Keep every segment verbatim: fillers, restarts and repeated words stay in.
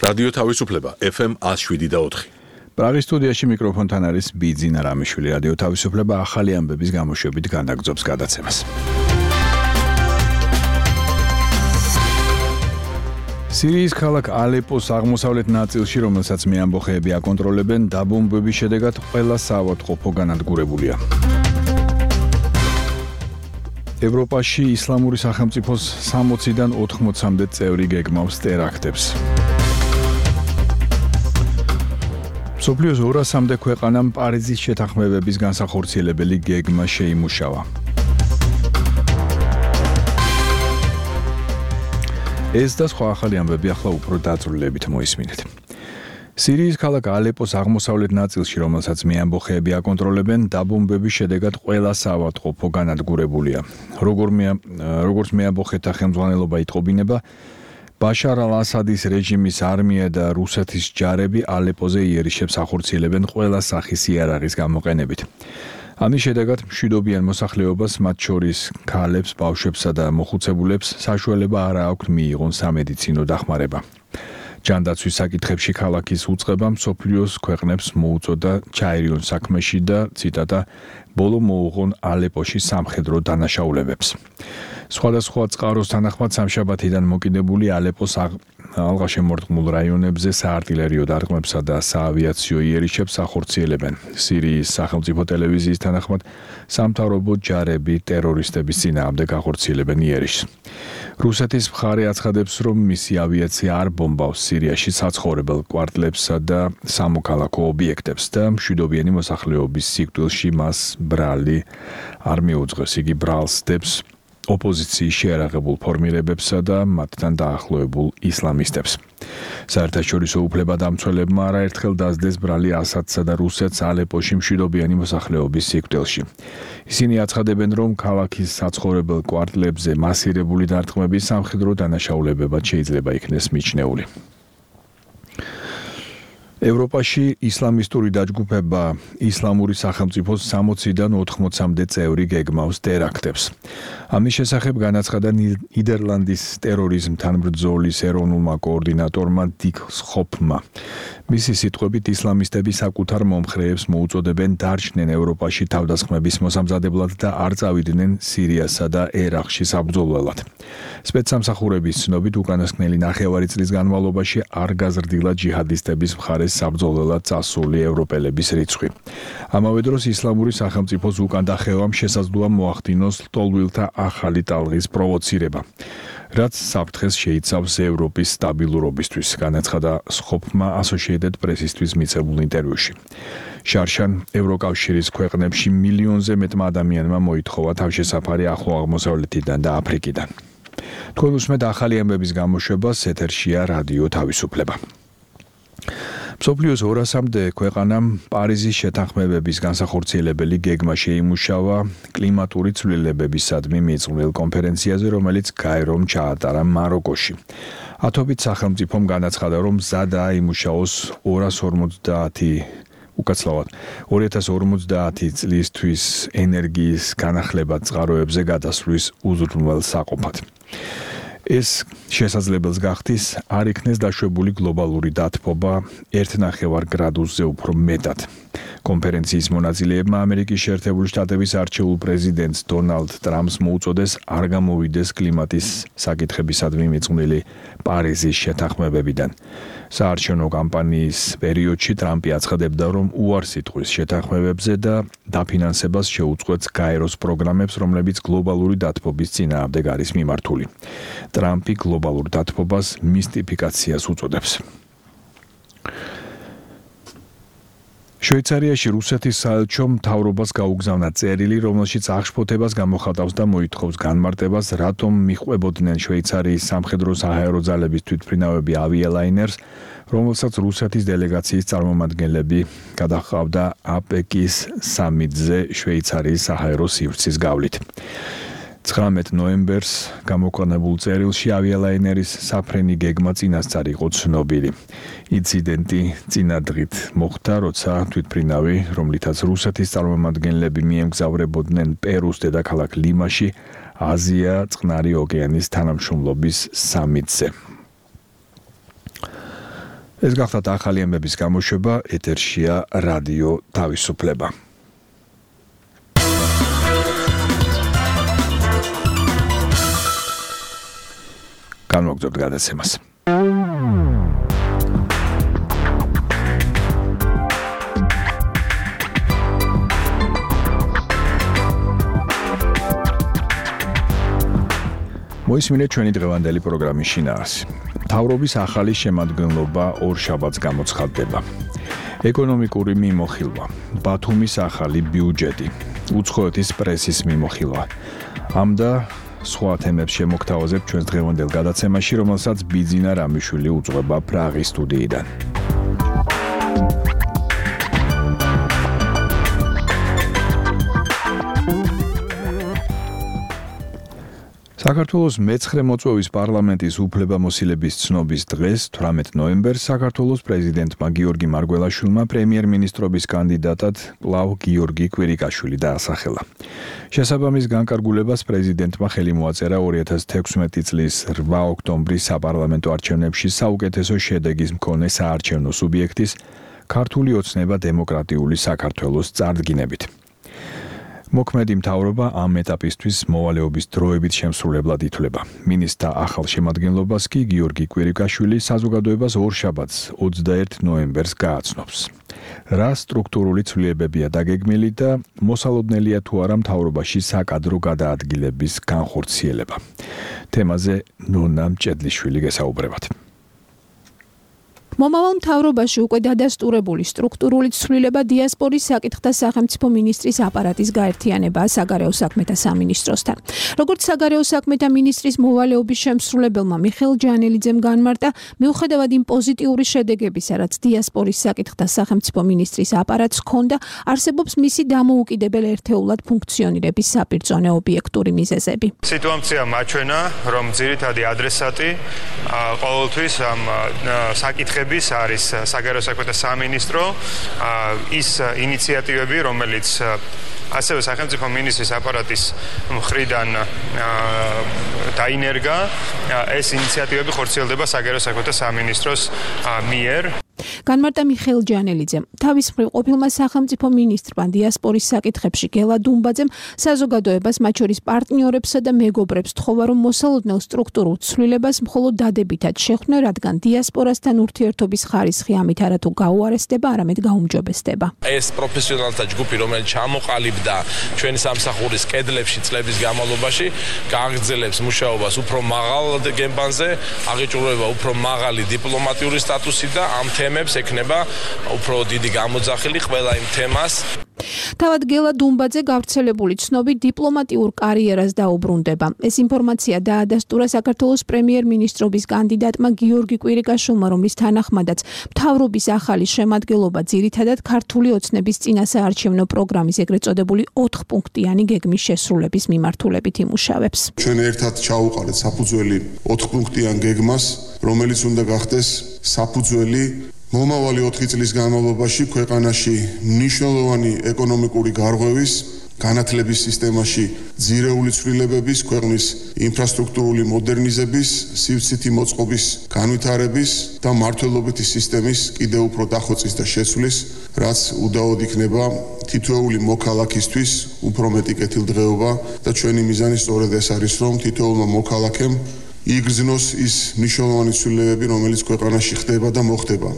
რადიო თავისუფლება ეფ ემ one oh seven და four. პრაღის სტუდიაში მიკროფონთან არის ბიძინა რამიშვილი. რადიო თავისუფლება ახალი ამბების გამოშვებით განაგრძობს გადაცემას. სირიის ქალაქ ალეპოს აღმოსავლეთ ნაწილში, რომელსაც მეამბოხეები აკონტროლებენ, დაბომბვების შედეგად ყველა საავადმყოფო განადგურებულია. ევროპაში ისლამური სახელმწიფოს სამოციდან ოთხმოცამდე წევრი გეგმავს ტერაქტებს. მსოფლიოს ორასამდე ქვეყანამ პარიზის შეთანხმებების განსახორციელებელი გეგმა შეიმუშავა. ეს და სხვა ახალი ამბები ახლა უფრო დაწვრილებით მოისმინეთ. სირიის ქალაქ ალეპოს აღმოსავლეთ ნაწილში, რომელსაც მეამბოხეები აკონტროლებენ, დაბომბვების შედეგად ყველა საავადმყოფო განადგურებულია. როგორც მეამბოხეთა ხელმძღვანელობა იტყობინება, ბაშარ ალ-ასადის რეჟიმის არმია და რუსეთის ჯარები ალეპოზე იერიშებს ახორციელებენ ყველა სახის იარაღის გამოყენებით. ამის შედეგად მშვიდობიან მოსახლეობას, მათ შორის ქალებს, ბავშვებსა და მოხუცებულებს საშუალება არ აქვთ მიიღონ სამედიცინო დახმარება. ჯანდაცვის საკითხებში ქალაქის უწყება მსოფლიოს ქვეყნებს მოუწოდა ჩაერიონ საქმეში და ციტატა ბოლო მოუღონ ალეპოში სამხედრო დანაშაულებებს. სხვადასხვა წყაროს თანახმად სამშაბათიდან მოკიდებული ალეპოს ალღაშემორტყმულ რაიონებზე საარტილერიო დარტყმებსა და საავიაციო იერიშებს ახორციელებენ. სირიის სახელმწიფო ტელევიზიის თანახმად სამთავრობო ჯარები ტერორისტების წინააღმდეგ ახორციელებენ იერიშს. რუსეთის მხარე აცხადებს, რომ მისი ავიაცია არ ბომბავს სირიაში საცხოვრებელ კვარტლებსა და სამოქალაქო ობიექტებს და მშვიდობიანი მოსახლეობის სიკვდილში მას ბრალი არ მიუძღვის. იგი ბრალს დებს ოპოზიციის შეერაღებულ ფორმირებებსა და მათთან დაახლოებულ ისლამისტებს. საერთაშორისო უფლებადამცველებმა არაერთხელ დასდეს ბრალი ასადსა და რუსეთს ალეპოში მშვიდობიანი მოსახლეობის სიკვდილში. ისინი აცხადებენ, რომ ქალაქის საცხოვრებელ კვარტლებზე მასირებული დარტყმები სამხედრო დანაშაულებებად შეიძლება იქნეს მიჩნეული. ევროპაში ისლამისტური დაჯგუფება ისლამური სახელმწიფოს სამოციდან ოთხმოცამდე წევრი გეგმავს ტერაქტებს. ამის შესახებ განაცხადა ნიდერლანდის ტერორიზმთან ბრძოლის ეროვნულმა კოორდინატორმა დიკ სხოფმა. მისი სიტყვებით ისლამისტები საკუთარ მომხრეებს მოუწოდებენ დარჩნენ ევროპაში თავდასხმების მოსამზადებლად და არ წავიდნენ სირიასა და ერაყში საბრძოლველად. სპეცსამსახურების ცნობით უკანასკნელი ნახევარი წლის განმავლობაში არ გაზრდილა ჯიჰადისტების მხარეს საბრძოლველად წასული ევროპელების რიცხვი. ამავე დროს ისლამური სახელმწიფოს უკან დახევამ შესაძლოა მოახდინოს ლტოლვილთა ახალი ტალღის პროვოცირება, რაც საფრთხეს შეიცავს ევროპის სტაბილურობისთვის, განაცხადა სხოფმა Associated Press-ისთვის მიცემულ ინტერვიუში. შარშან ევროკავშირის ქვეყნებში მილიონზე მეტმა ადამიანმა მოითხოვა თავშესაფარი ახლო აღმოსავლეთიდან და აფრიკიდან. თქვენ უსმენთ ახალი ამბების გამოშვებას, ეთერშია რადიო თავისუფლება. მსოფლიოს ორასამდე ქვეყანამ პარიზის შეთანხმებების განსახორციელებელი გეგმა შეიმუშავა კლიმატური ცვლილებებისადმი მიძღვნილ კონფერენციაზე, რომელიც გაერომ ჩაატარა მაროკოში. ათობით სახელმწიფომ განაცხადა, რომ მზადაა იმუშაოს ორას ორმოცდაათი უკაცრავად ორი ათას ორმოცდაათი წლისთვის ენერგიის განახლება წყაროებზე გადასვლის უზრუნველსაყოფად. ეს შესაძლებელს გახდის არ იქნეს დაშვებული გლობალური დათბობა ერთ ნახევარ გრადუსზე უფრო მეტად. კონფერენციის მონაწილეებმა ამერიკის შეერთებული შტატების არჩეულ პრეზიდენტს დონალდ ტრამპს მოუწოდეს არ გამოვიდეს კლიმატის საკითხებისადმი მიძღვნილი პარიზის შეთანხმებებიდან. საარჩევნო კამპანიის პერიოდში ტრამპი აცხადებდა, რომ უარს იტყვის შეთანხმებებზე და დაფინანსებას შეუწყვეტს გაეროს პროგრამებს, რომლებიც გლობალური დათბობის წინააღმდეგ არის მიმართული. ტრამპი გლობალურ დათბობას მისტიფიკაციას უწოდებს. შვეიცარიაში რუსეთის საელჩომ მთავრობას გაუგზავნა წერილი, რომელშიც აღშფოთებას გამოხატავს და მოითხოვს განმარტებას, რატომ მიჰყვებოდნენ შვეიცარიის სამხედრო საჰაერო ძალების თვითმფრინავები ავიალაინერს, რომელსაც რუსეთის დელეგაციის წარმომადგენლები გადაჰყავდა აპეკის სამიტზე შვეიცარიის საჰაერო სივრცის გავლით. ცხრამეტ ნოემბერს გამოქვეყნებულ წერილში ავიალაინერის საფრენი გეგმა წინასწარ იყო ცნობილი. ინციდენტი წინა დღით მოხდა, როცა თვითმფრინავი, რომლითაც რუსეთის წარმომადგენლები მიემგზავრებოდნენ პერუს დედაქალაქ ლიმაში, აზია წყნარი ოკეანის თანამშრომლობის სამიტზე. ეს გახდათ ახალი ამბების გამოშვება, ეთერშია რადიო თავისუფლება. განმოგწევთ გადაცემას. მოისმინეთ ჩვენი დღევანდელი პროგრამის შინაარსი. მთავრობის ახალი შემადგენლობა ორ შაბათს გამოცხადდება. ეკონომიკური მიმოხილვა, ბათუმის ახალი ბიუჯეტი, უცხოეთის პრესის მიმოხილვა. ამ და სხვა თემებს შემოგთავაზებ ჩვენს დღევანდელ გადაცემაში, რომელსაც ბიძინა რამიშვილი უძღვება პრაღის სტუდიიდან. საქართველოს მეცხრე მოწვევის პარლამენტის უფლებამოსილების ცნობის დღეს, თვრამეტ ნოემბერს, საქართველოს პრეზიდენტმა გიორგი მარგველაშვილმა პრემიერ-მინისტრობის კანდიდატად კვლავ გიორგი კვირიკაშვილი დაასახელა. შესაბამის განკარგულებას პრეზიდენტმა ხელი მოაწერა ორი ათას თექვსმეტი წლის რვა ოქტომბრის საპარლამენტო არჩევნებში საუკეთესო შედეგის მქონე საარჩევნო სუბიექტის ქართული ოცნება დემოკრატიული საქართველოს წარდგინებით. მოქმედი მთავრობა ამ ეტაპისთვის მოვალეობის დროებით შემსრულებლად ითვლება. მინისტრთა ახალ შემადგენლობას კი გიორგი კვირიკაშვილი საზოგადოებას ორ შაბათს ოცდაერთ ნოემბერს გააცნობს. რა სტრუქტურული ცვლილებებია დაგეგმილი და მოსალოდნელია თუ არა მთავრობაში საკადრო გადაადგილების განხორციელება. თემაზე ნონა მჭედლიშვილი გესაუბრებათ. მომავალ მთავრობაში უკვე დადასტურებული სტრუქტურული ცვლილება დიასპორის საკითხთა სახელმწიფო მინისტრის აპარატის გაერთიანებაა საგარეო საქმეთა სამინისტროსთან. როგორც საგარეო საქმეთა მინისტრის მოვალეობის შემსრულებელმა მიხეილ ჯანელიძემ განმარტა, მიუხედავად იმ პოზიტიური შედეგებისა, რაც დიასპორის საკითხთა სახელმწიფო მინისტრის აპარატს ჰქონდა, არსებობს მისი დამოუკიდებელ ერთეულად ფუნქციონირების საპირწონე ობიექტური მიზეზები. სიტუაცია მაჩვენა, რომ ძირითადი ადრესატი ყოველთვის ამ საკითხების არის საგარეო საქმეთა სამინისტრო, ის ინიციატივები, რომელიც ასევე სახელმწიფო მინისტრის აპარატის მხრიდან დაინერგა, ეს ინიციატივები ხორციელდება საგარეო საქმეთა სამინისტროს მიერ. განმარტა მიხეილ ჯანელიძემ, თავის მხრივ ყოფილმა სახელმწიფო მინისტრმა დიასპორის საკითხებში გელა დუმბაძემ საზოგადოებას, მათ შორის პარტნიორებსა და მეგობრებს თხოვა, რომ მოსალოდნელ სტრუქტურულ ცვლილებას მხოლოდ დადებითად შეხვდნენ, რადგან დიასპორასთან ურთიერთობის ხარისხი ამით არათუ გაუარესდება, არამედ გაუმჯობესდება. ეს პროფესიონალთა ჯგუფი, რომელიც ჩამოყალიბდა ჩვენი სამსახურის კედლებში წლების განმავლობაში, გააგრძელებს მუშაობას უფრო მაღალ გემბანზე, აღიჭურება უფრო მაღალი დიპლომატიური სტატუსი და ამ თემებს ექნება უფრო დიდი გამოძახილი ყველა იმ თემას. თავად გელა დუმბაძე გავრცელებული ცნობით დიპლომატიურ კარიერას დაუბრუნდება. ეს ინფორმაცია დაადასტურა საქართველოს პრემიერ-მინისტრობის კანდიდატმა გიორგი კვირიკაშვილმა, რომლის თანახმადაც მთავრობის ახალი შემადგენლობა ძირითადად ქართული ოცნების წინასაარჩევნო პროგრამის ეგრეთ წოდებული ოთხპუნქტიანი გეგმის შესრულების მიმართულებით იმუშავებს. ჩვენ ერთად ჩაუყარეთ საფუძველი ოთხპუნქტიან გეგმას, რომელიც უნდა გახდეს საფუძველი მომავალი ოთხი წლის განმავლობაში ქვეყანაში მნიშვნელოვანი ეკონომიკური გარღვევის, განათლების სისტემაში ძირეული ცვლილებების, ქვეყნის ინფრასტრუქტურული მოდერნიზების, სივცითი მოწყობის განვითარების და მართლობითი სისტემის კიდევ უფრო დახვეწის და შეცვლის, რაც უდაოდ იქნება თითოეული მოქალაქისთვის უფრო მეტი კეთილდღეობა და ჩვენი მიზანი სწორედ ეს არის, რომ თითოეულმა მოქალაქემ იგრძნოს ის მნიშვნელოვანი ცვლილებები, რომელიც ქვეყანაში ხდება და მოხდება.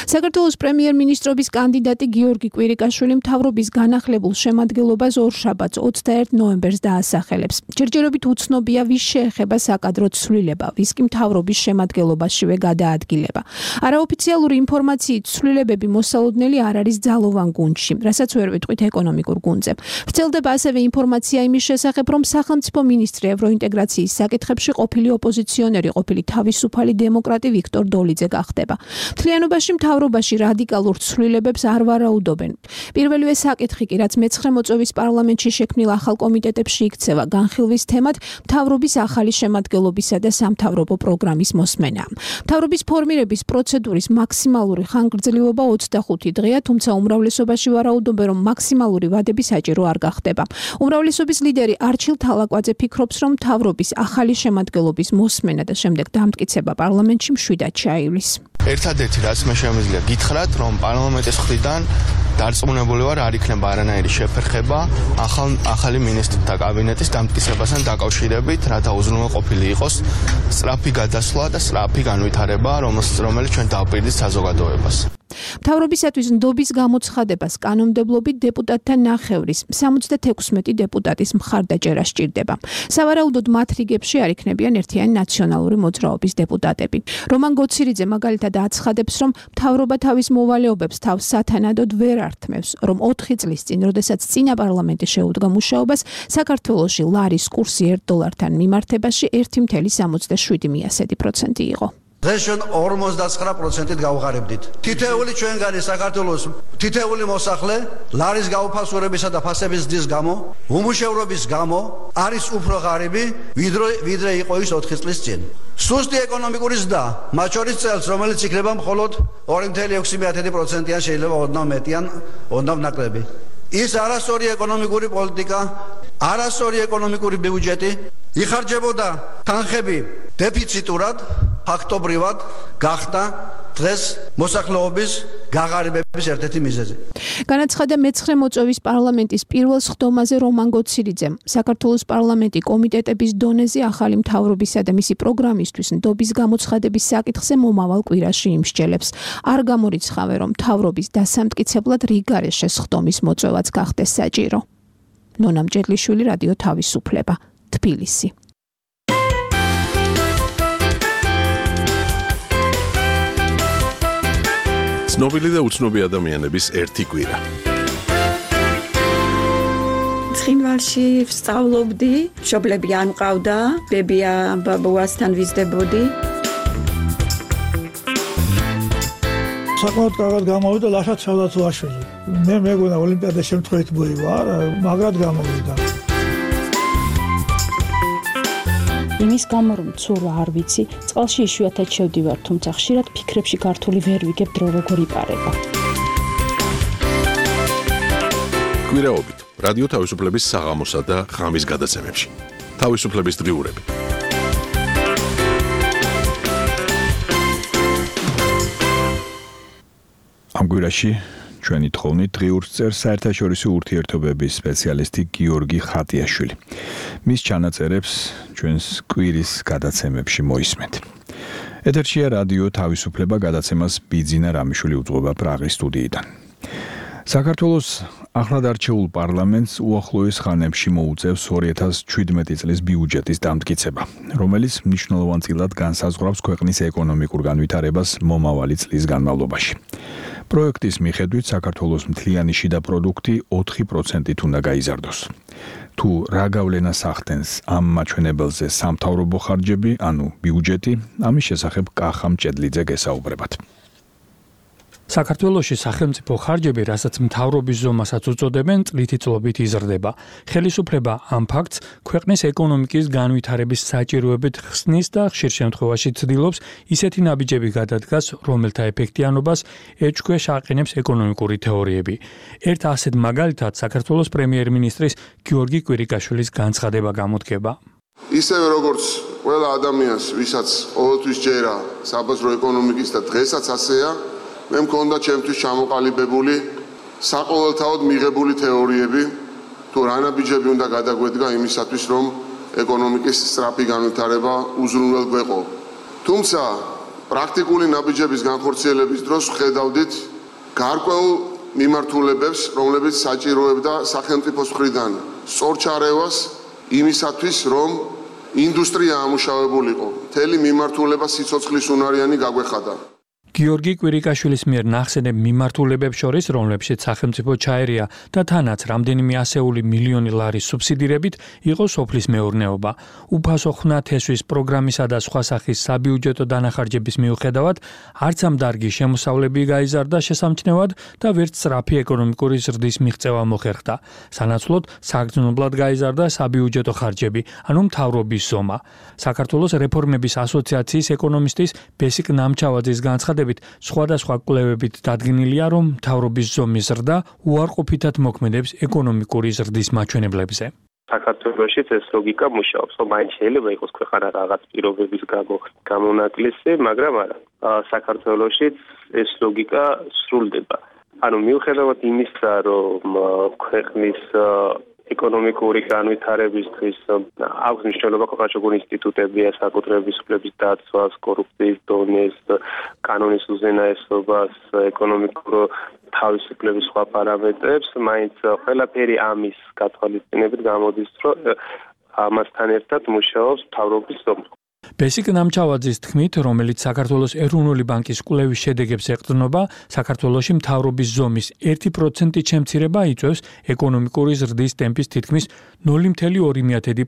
საქართველოს პრემიერ-მინისტრობის კანდიდატი გიორგი კვირიკაშვილი მთავრობის განახლებულ შემადგენლობას ორ შაბათს ოცდაერთ ნოემბერს დაასახელებს. ჯერჯერობით უცნობია, ვის შეეხება საკადრო ცვლილება, ვის კი მთავრობის შემადგენლობაშივე გადაადგილება. არაოფიციალური ინფორმაციით ცვლილებები მოსალოდნელი არ არის ძალოვან გუნდში, რასაც ვერ ვიტყვით ეკონომიკურ გუნდზე. ვრცელდება ასევე ინფორმაცია იმის შესახებ, რომ სახელმწიფო მინისტრი ევროინტეგრაციის საკითხებში ყოფილი ოპოზიციონერი, ყოფილი თავისუფალი დემოკრატი ვიქტორ დოლიძე გახდება. მთლიანობაში მთავრობაში რადიკალურ ცვლილებებს არ ვარაუდობენ. პირველივე საკითხი კი, რაც მეცხრე მოწვევის პარლამენტში შექმნილ ახალ კომიტეტებში იქცევა განხილვის თემად, მთავრობის ახალი შემადგენლობისა და სამთავრობო პროგრამის მოსმენა. მთავრობის ფორმირების პროცედურის მაქსიმალური ხანგრძლივობა ოცდახუთი დღეა, თუმცა უმრავლესობაში ვარაუდობენ, რომ მაქსიმალური ვადები საჭირო არ გახდება. უმრავლესობის ლიდერი არჩილ თალაკვაძე ფიქრობს, რომ მთავრობის ახალი შემადგენლობის მოსმენა და შემდეგ დამტკიცება პარლამენტში მშვიდად ჩაივლის. ერთადერთი რაც მე შემიძლია გითხრათ, რომ პარლამენტის მხრიდან დარწმუნებული ვარ, არ იქნება არანაირი შეფერხება ახალ ახალი მინისტრთა კაბინეტის დამტკიცებასთან დაკავშირებით, რათა უზრუნველყოფილი იყოს სწრაფი გადასვლა და სწრაფი განვითარება, რომელიც ჩვენ დავპირდით საზოგადოებას. მთავრობისათვის ნდობის გამოცხადებას კანონმდებლობით დეპუტატთა ნახევრის სამოცდათექვსმეტი დეპუტატის მხარდაჭერა სჭირდება. სავარაუდოდ მათ რიგებში არ იქნებიან ერთიანი ნაციონალური მოძრაობის დეპუტატები. რომან გოცირიძე მაგალითად აცხადებს, რომ მთავრობა თავის მოვალეობებს თავს სათანადოდ ვერ ართმევს, რომ ოთხი წლის წინ, როდესაც წინა პარლამენტი შეუდგა მუშაობას, საქართველოში ლარის კურსი ერთ დოლართან მიმართებაში ერთი წუთი სამოცდაშვიდი პროცენტი იყო. დღეს ჩვენ ორმოცდაცხრა პროცენტით გავღარებდით. თითეული ჩვენგანი საქართველოს თითეული მოსახლე ლარის გაუფასურებისა და ფასების ზრდის გამო, უმუშევრობის გამო არის უფრო ღარიბი, ვიდრე ვიდრე იყო ის ოთხი წლის წინ. სუსტი ეკონომიკური ზრდა, მათ შორის წელს, რომელიც იქნება მხოლოდ ორი წუთი ექვსი პროცენტიან, შეიძლება ოდნავ მეტიან, ოდნავ ნაკლები. ის არასწორი ეკონომიკური პოლიტიკა, არასწორი ეკონომიკური ბიუჯეტი იხარჯებოდა თანხები დეფიციტურად, ფაქტობრივად გახდა დღეს მოსახლეობის გაღარიბების ერთ-ერთი მიზეზი. განაცხადა მეცხრე მოწვევის პარლამენტის პირველ სხდომაზე რომან გოცირიძემ. საქართველოს პარლამენტი კომიტეტების დონეზე ახალი მთავრობისა და მისი პროგრამისთვის ნდობის გამოცხადების საკითხზე მომავალ კვირაში იმსჯელებს. არ გამორიცხავენ, რომ მთავრობის დასამტკიცებლად რიგარეშე სხდომის მოწვევაც გახდეს საჭირო. ნონა მჭედლიშვილი, რადიო თავისუფლება, თბილისი. ცნობილი და უცნობი ადამიანების ერთი კვირა. ცხინვალში ვსწავლობდი, მშობლები არ მყავდა, ბებია ბაბუასთან ვიზრდებოდი. საკმაოდ კარგად გამოვიდა ლაშა ჩავდაცვაშვილი. მე მეგონა ოლიმპიადა შემთხვევით მოივა, მაგრად გამოვიდა. იმის გამო რომ ცურვა არ ვიცი, წყალში იშვიათად შევდივარ, თუმცა ხშირად ფიქრებში გართული ვერ ვიგებ დრო როგორ იპარება. კვირაობით რადიო თავისუფლების საღამოსა და ღამის გადაცემებში. თავისუფლების დღიურები. ამ კვირაში ჩვენი თხოვნით დღიურს წერს საერთაშორისო ურთიერთობების სპეციალისტი გიორგი ხატიაშვილი. მის ჩანაწერებს ჩვენს კვირის გადაცემებში მოისმენთ. ეთერშია რადიო თავისუფლება, გადაცემას ბიძინა რამიშვილი უძღვება პრაღის სტუდიიდან. საქართველოს ახლად არჩეულ პარლამენტს უახლოეს ხანებში მოუწევს ორი ათას შვიდმეტი წლის ბიუჯეტის დამტკიცება, რომელიც მნიშვნელოვანწილად განსაზღვრავს ქვეყნის ეკონომიკურ განვითარებას მომავალი წლის განმავლობაში. პროექტის მიხედვით საქართველოს მთლიანი შიდა პროდუქტი ოთხი პროცენტით უნდა გაიზარდოს. თუ რა გავლენას ახდენს ამ მაჩვენებელზე სამთავრობო ხარჯები, ანუ ბიუჯეტი, ამის შესახებ კახა მჭედლიძე გესაუბრებათ. საქართველოში სახელმწიფო ხარჯები, რასაც მთავრობის ზომასაც უწოდებენ, წლითი წლობით იზრდება. ხელისუფლება ამ ფაქტს ქვეყნის ეკონომიკის განვითარების საჭიროებით ხსნის და ხშირ შემთხვევაში ცდილობს ისეთი ნაბიჯები გადადგას, რომელთა ეფექტიანობას ეჭქვეშ აყენებს ეკონომიკური თეორიები. ერთ ასეთ მაგალითად საქართველოს პრემიერ-მინისტრის გიორგი კვირიკაშვილის განცხადება გამოდგება. ისევე როგორც ყველა ადამიანს, ვისაც ყოველთვის ჯერა საბაზრო ეკონომიკის და დღესაც ასეა, მე მქონდა ჩემთვის ჩამოყალიბებული საყოველთაოდ მიღებული თეორიები, თუ რა ნაბიჯები უნდა გადაგვედგა იმისათვის, რომ ეკონომიკის სწრაფი განვითარება უზრუნველ გვეყო. თუმცა პრაქტიკული ნაბიჯების განხორციელების დროს ვხედავდით გარკვეულ მიმართულებებს, რომლებიც საჭიროებდა სახელმწიფოს მხრიდან სწორ ჩარევას იმისათვის, რომ ინდუსტრია ამუშავებულიყო. მთელი მიმართულება სიცოცხლის უნარიანი გაგვეხადა. გიორგი კვირიკაშვილის მიერ ნახსენებ მიმართულებებს შორის, რომლებშიც სახელმწიფო ჩაერია და თანაც რამდენიმე ასეული მილიონი ლარის სუბსიდირებით იყო სოფლის მეურნეობა. უფასო ხნა თესვის პროგრამისა და სხვა სახის საბიუჯეტო დანახარჯების მიუხედავად, არც ამ დარგის შემოსავლები გაიზარდა შესამჩნევად და ვერც სწრაფი ეკონომიკური ზრდის მიღწევა მოხერხდა. სანაცვლოდ საგრძნობლად გაიზარდა საბიუჯეტო ხარჯები, ანუ მთავრობის ზომა. საქართველოს რეფორმების ასოციაციის ეკონომისტის ბესიკ ნამჩავაძის განცხადებით, სხვადასხვა კვლევებით დადგენილია, რომ მთავრობის ზომის ზრდა უარყოფითად მოქმედებს ეკონომიკური ზრდის მაჩვენებლებზე. საქართველოშიც ეს ლოგიკა მუშაობს, რომ მაინც შეიძლება იყოს ქვეყანა რაღაც პირობების გამო გამონაკლისი, მაგრამ არა. საქართველოშიც ეს ლოგიკა სრულდება. ანუ მიუხედავად იმისა, რომ ქვეყნის ეკონომიკური განვითარებისთვის აქვს მნიშვნელობა ქვეყანაში ინსტიტუტები, საკუთრების უფლების დაცვას, კორუფციის დონეს, კანონის უზენაესობას, ეკონომიკურ თავისუფლების სხვა პარამეტრებს, მაინც ყველაფერი ამის გათვალისწინებით გამოდის, რომ ამასთან ერთად მუშაობს მთავრობის ზომა. ბესიკ ნამჩავაძის თქმით, რომელიც საქართველოს ეროვნული ბანკის კვლევის შედეგებს ეყრდნობა, საქართველოში მთავრობის ზომის ერთი პროცენტი შემცირება იწვევს ეკონომიკური ზრდის ტემპის თითქმის ნული კoma ორი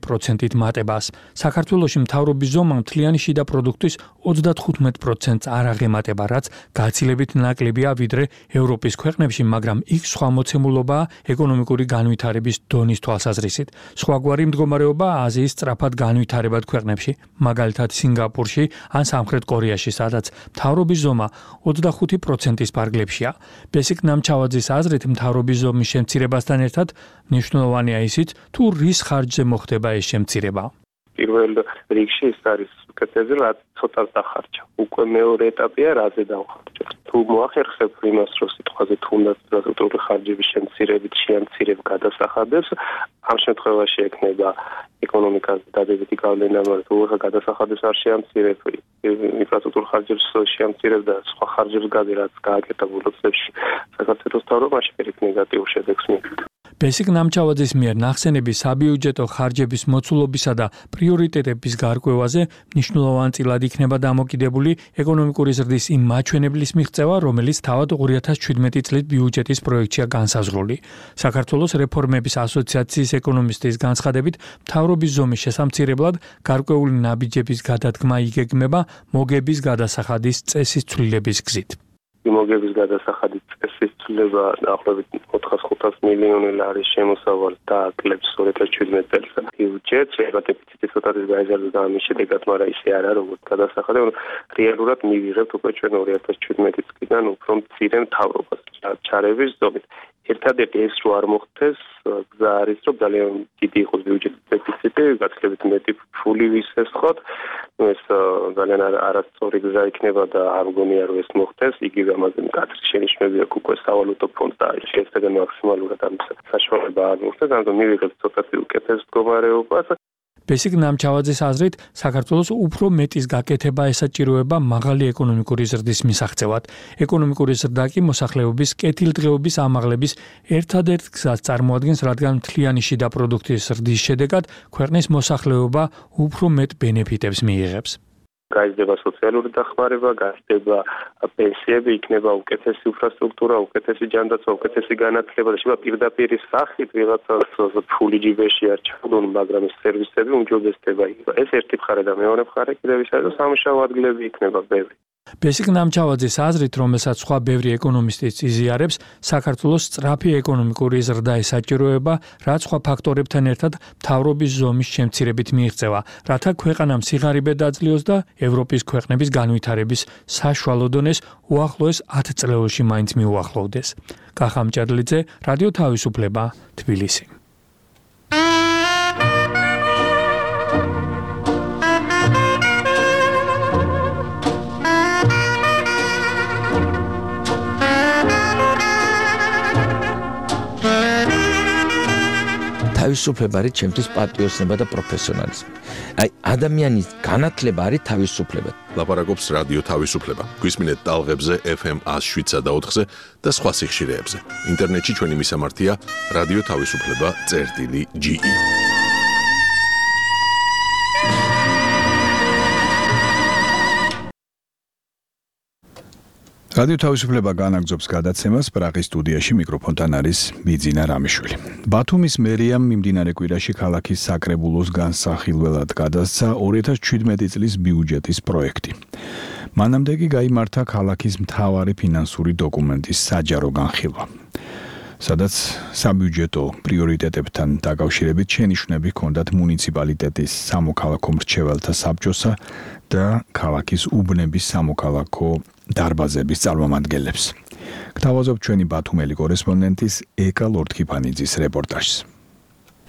პროცენტით მატებას. საქართველოში მთავრობის ზომა მთლიანი შიდა პროდუქტის ოცდათხუთმეტ პროცენტს არ აღემატება, რაც გაცილებით ნაკლებია ვიდრე ევროპის ქვეყნებში, მაგრამ იქ სხვა მოცემულობაა ეკონომიკური განვითარების დონის თვალსაზრისით. სხვაგვარი მდგომარეობა აზიის სწრაფად განვითარებად ქვეყნებში, მაგალითად სინგაპურში ან სამხრეთ კორეაში, სადაც მთავრობის ზომა ოცდახუთი პროცენტის ფარგლებშია. ბესიკ ნამჩავაძის აზრით, მთავრობის ზომის შემცირებასთან ერთად მნიშვნელოვანია ისიც, თუ რის ხარჯზე მოხდება ეს შემცირება. პირველ რიგში ის არის უკეთესი, რაც ცოტა დახარჯა. უკვე მეორე ეტაპია, რაზე დავხარჯოთ. თუ მოახერხებ იმას, რომ სიტყვაზე თუნდაც სტრუქტურული ხარჯების შემცირებით შეამცირებ გადასახადებს, ამ შემთხვევაში ექნება ეკონომიკას დადებითი გავლენა, მაგრამ თუ გადასახადებს არ შეამცირებ, ინფრასტრუქტურულ ხარჯებს შეამცირებ და სხვა ხარჯებს გადი, რაც გააკეთა ბოლო წლებში საქართველოს მთავრობაში, ეგ ნეგატიურ შედეგს მიიღებდა. ბესიკ ნამჩავაძის მიერ ნახსენები საბიუჯეტო ხარჯების მოცულობისა და პრიორიტეტების გარკვევაზე მნიშვნელოვანწილად იქნება დამოკიდებული ეკონომიკური ზრდის იმ მაჩვენებლის მიღწევა, რომელიც თავად ორი ათას შვიდმეტი წლის ბიუჯეტის პროექტშია განსაზღვრული. საქართველოს რეფორმების ასოციაციის ეკონომისტის განცხადებით, მთავრობის ზომის შესამცირებლად გარკვეული ნაბიჯების გადადგმა იგეგმება მოგების გადასახადის წესის ცვლილების გზით. მოგების გადასახადის წესის ცვლილება დაახლოებით ოთხას ხუთას მილიონი ლარის შემოსავალს დააკლებს ორი ათას შვიდმეტ წელს ბიუჯეტს, შეიძლება დეფიციტი ცოტათი გაიზარდოს და ამის შედეგად, მაგრამ ისე არა როგორც გადასახადი, რომ რეალურად მივიღებთ უკვე ჩვენ ორი ათას შვიდმეტი წლიდან უფრო მცირე მთავრობას ჩარევის ზომით. ერთადერთი ეს რო არ მოხდეს, გზა არის, რომ ძალიან დიდი იყოს ბიუჯეტის დეფიციტი, გაცილებით მეტი ფული ვისესხოთ, ეს ძალიან არასწორი გზა იქნება და არ მგონია რომ ეს მოხდეს. იგივე ამაზე მკაცრი შენიშვნები აქვს უკვე სავალუტო ფონდს და შეიძლება მაქსიმალურად ამის საშუალება არ მოხდეს, ამიტომ მივიღებთ ცოტათი უკეთეს მდგომარეობას. ბესიკ ნამჩავაძის აზრით, საქართველოს უფრო მეტის გაკეთება ესაჭიროება მაღალი ეკონომიკური ზრდის მისაღწევად. ეკონომიკური ზრდა კი მოსახლეობის კეთილდღეობის ამაღლების ერთადერთ გზას წარმოადგენს, რადგან მთლიანი შიდა პროდუქტის ზრდის შედეგად ქვეყნის მოსახლეობა უფრო მეტ ბენეფიტებს მიიღებს. გაიზრდება სოციალური დახმარება, გაიზრდება პენსიები, იქნება უკეთესი ინფრასტრუქტურა, უკეთესი ჯანდაცვა, უკეთესი განათლება და შეიძლება პირდაპირ სახით ვიღაცას ფული ჯიბეში არ ჩაგვდონ, მაგრამ ეს სერვისები უმჯობესდება. ეს ერთი მხარე და მეორე მხარე კიდევ ის არის, რომ სამუშაო ადგილები იქნება ბევრი. ბესიკ ნამჩავაძის აზრით, რომელსაც სხვა ბევრი ეკონომისტიც იზიარებს, საქართველოს სწრაფი ეკონომიკური ზრდა ესაჭიროება, რაც სხვა ფაქტორებთან ერთად მთავრობის ზომის შემცირებით მიიღწევა, რათა ქვეყანამ სიღარიბე დაძლიოს და ევროპის ქვეყნების განვითარების საშუალო დონეს უახლოეს ათ წლეულში მაინც მიუახლოვდეს. კახა მჭედლიძე, რადიო თავისუფლება, თბილისი. თავისუფლება არის ჩემთვის პატრიოტიზმი და პროფესიონალიზმი. აი, ადამიანის განათლება არის თავისუფლება. ლაპარაკობს რადიო თავისუფლება. გვისმინეთ ტალღებზე ეფ ემ ას შვიდსა და ოთხზე და სხვა სიხშირეებზე. ინტერნეტში ჩვენი მისამართია რადიო თავისუფლება წერტილი ჯი ი. რადიო თავისუფლება განაგრძობს გადაცემას, პრაღის სტუდიაში მიკროფონთან არის ბიძინა რამიშვილი. ბათუმის მერიამ მიმდინარე კვირაში ქალაქის საკრებულოს განსახილველად გადასცა ორი ათას შვიდმეტი წლის ბიუჯეტის პროექტი. მანამდე კი გაიმართა ქალაქის მთავარი ფინანსური დოკუმენტის საჯარო განხილვა, სადაც საბიუჯეტო პრიორიტეტებთან დაკავშირებით შენიშვნები ჰქონდათ მუნიციპალიტეტის სამოქალაქო მრჩეველთა საბჭოსა და ქალაქის უბნების სამოქალაქო დარბაზების წარმომადგენლებს. გთავაზობ ჩვენი ბათუმელი კორესპონდენტის ეკა ლორთქიფანიძის რეპორტაჟს.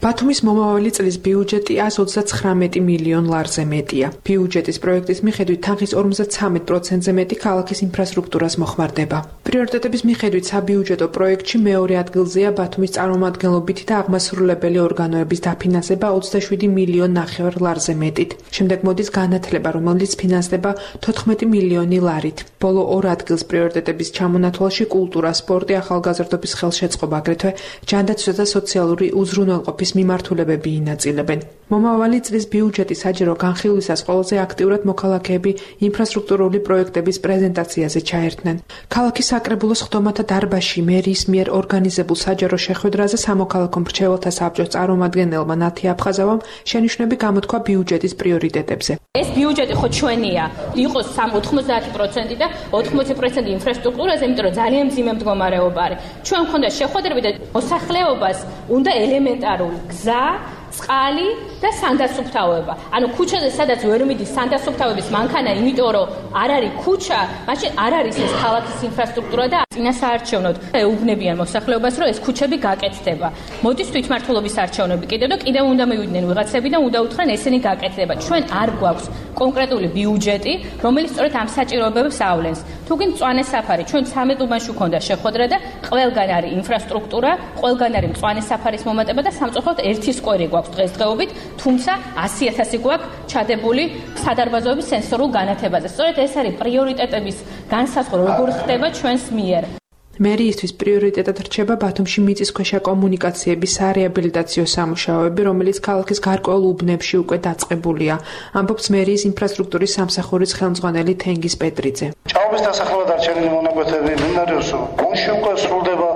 ბათუმის მომავალი წლის ბიუჯეტი ას ოცდათხრამეტი მილიონ ლარზე მეტია. ბიუჯეტის პროექტის მიხედვით თანხის ორმოცდათრამეტ პროცენტზე მეტი ქალაქის ინფრასტრუქტურას მოხმარდება. პრიორიტეტების მიხედვით საბიუჯეტო პროექტში მეორე ადგილზეა ბათუმის წარმომადგენლობითი და აღმასრულებელი ორგანოების დაფინანსება ოცდაშვიდი მილიონ ნახევარ ლარზე მეტით. შემდეგ მოდის განათლება, რომელიც ფინანსდება თოთხმეტი მილიონი ლარით. ბოლო ორ ადგილს პრიორიტეტების ჩამონათვალში კულტურა, სპორტი, ახალგაზრდობის ხელშეწყობა, აგრეთვე ჯანდაცვა და სოციალური უზრუნველყოფის მიმართულებები ინაწილებენ. მომავალი წლის ბიუჯეტის საჯარო განხილვისას ყველაზე აქტიურად მოქალაქეები ინფრასტრუქტურული პროექტების პრეზენტაციაზე ჩაერთნენ. ქალაქის საკრებულოს ხდომათა დარბაზში მერიის მიერ ორგანიზებულ საჯარო შეხვედრაზე სამოქალაქო მრჩეველთა საბჭოს წარმომადგენელმა ნათი აფხაზავამ შენიშვნები გამოთქვა ბიუჯეტის პრიორიტეტებზე. ეს ბიუჯეტი ხო ჩვენია, იყოს ოცდაათი პროცენტი და ოთხმოცი პროცენტი ინფრასტრუქტურაზე, იმიტომ რომ ძალიან მძიმე მდგომარეობა არის. ჩვენ მქონდა შეხვედრები და მოსახლეობას უნდა ელემენტარული გზა, წყალი და სანდასუფთავება. ანუ ქუჩაზე სადაც ვერ მიდის სანდასუფთავების მანქანა, იმიტომ რომ არ არის ქუჩა, მაშინ არ არის ეს ქალაქის ინფრასტრუქტურა და წინასაარჩევნოდ ეუბნებიან მოსახლეობას, რომ ეს ქუჩები გაკეთდება. მოდის თვითმმართველობის არჩევნები კიდევ და კიდევ უნდა მივიდნენ ვიღაცები და უნდა უთხრენ ესენი გაკეთდება. ჩვენ არ გვაქვს კონკრეტული ბიუჯეტი, რომელიც სწორედ ამ საჭიროებებს ავლენს. თუ გინდ მწვანე საფარი, ჩვენ ცამეტ უბანში ქონდა შეხვედრა და ყველგან არის ინფრასტრუქტურა, ყველგან არის მწვანე საფარის მომატება და სამწუხაროდ ერთი სკვერი გვაქვს დღესდღეობით, თუმცა ასი ათასი გვაქვს ჩადებული სადარბაზოების სენსორულ განათებაზე. სწორედ ეს არის პრიორიტეტების განსაზღვრა, როგორ ხდება ჩვენს მიერ. მერიისთვის პრიორიტეტად რჩება ბათუმში მიწისქვეშა კომუნიკაციების სარეაბილიტაციო სამუშაოები, რომელიც ქალაქის გარკვეულ უბნებში უკვე დაწყებულია, ამბობს მერიის ინფრასტრუქტურის სამსახურის ხელმძღვანელი თენგიზ პეტრიძე. ჭაობის დასახლება დარჩენილი მონაკვეთები, მინარევს გონში უკვე სრულდება,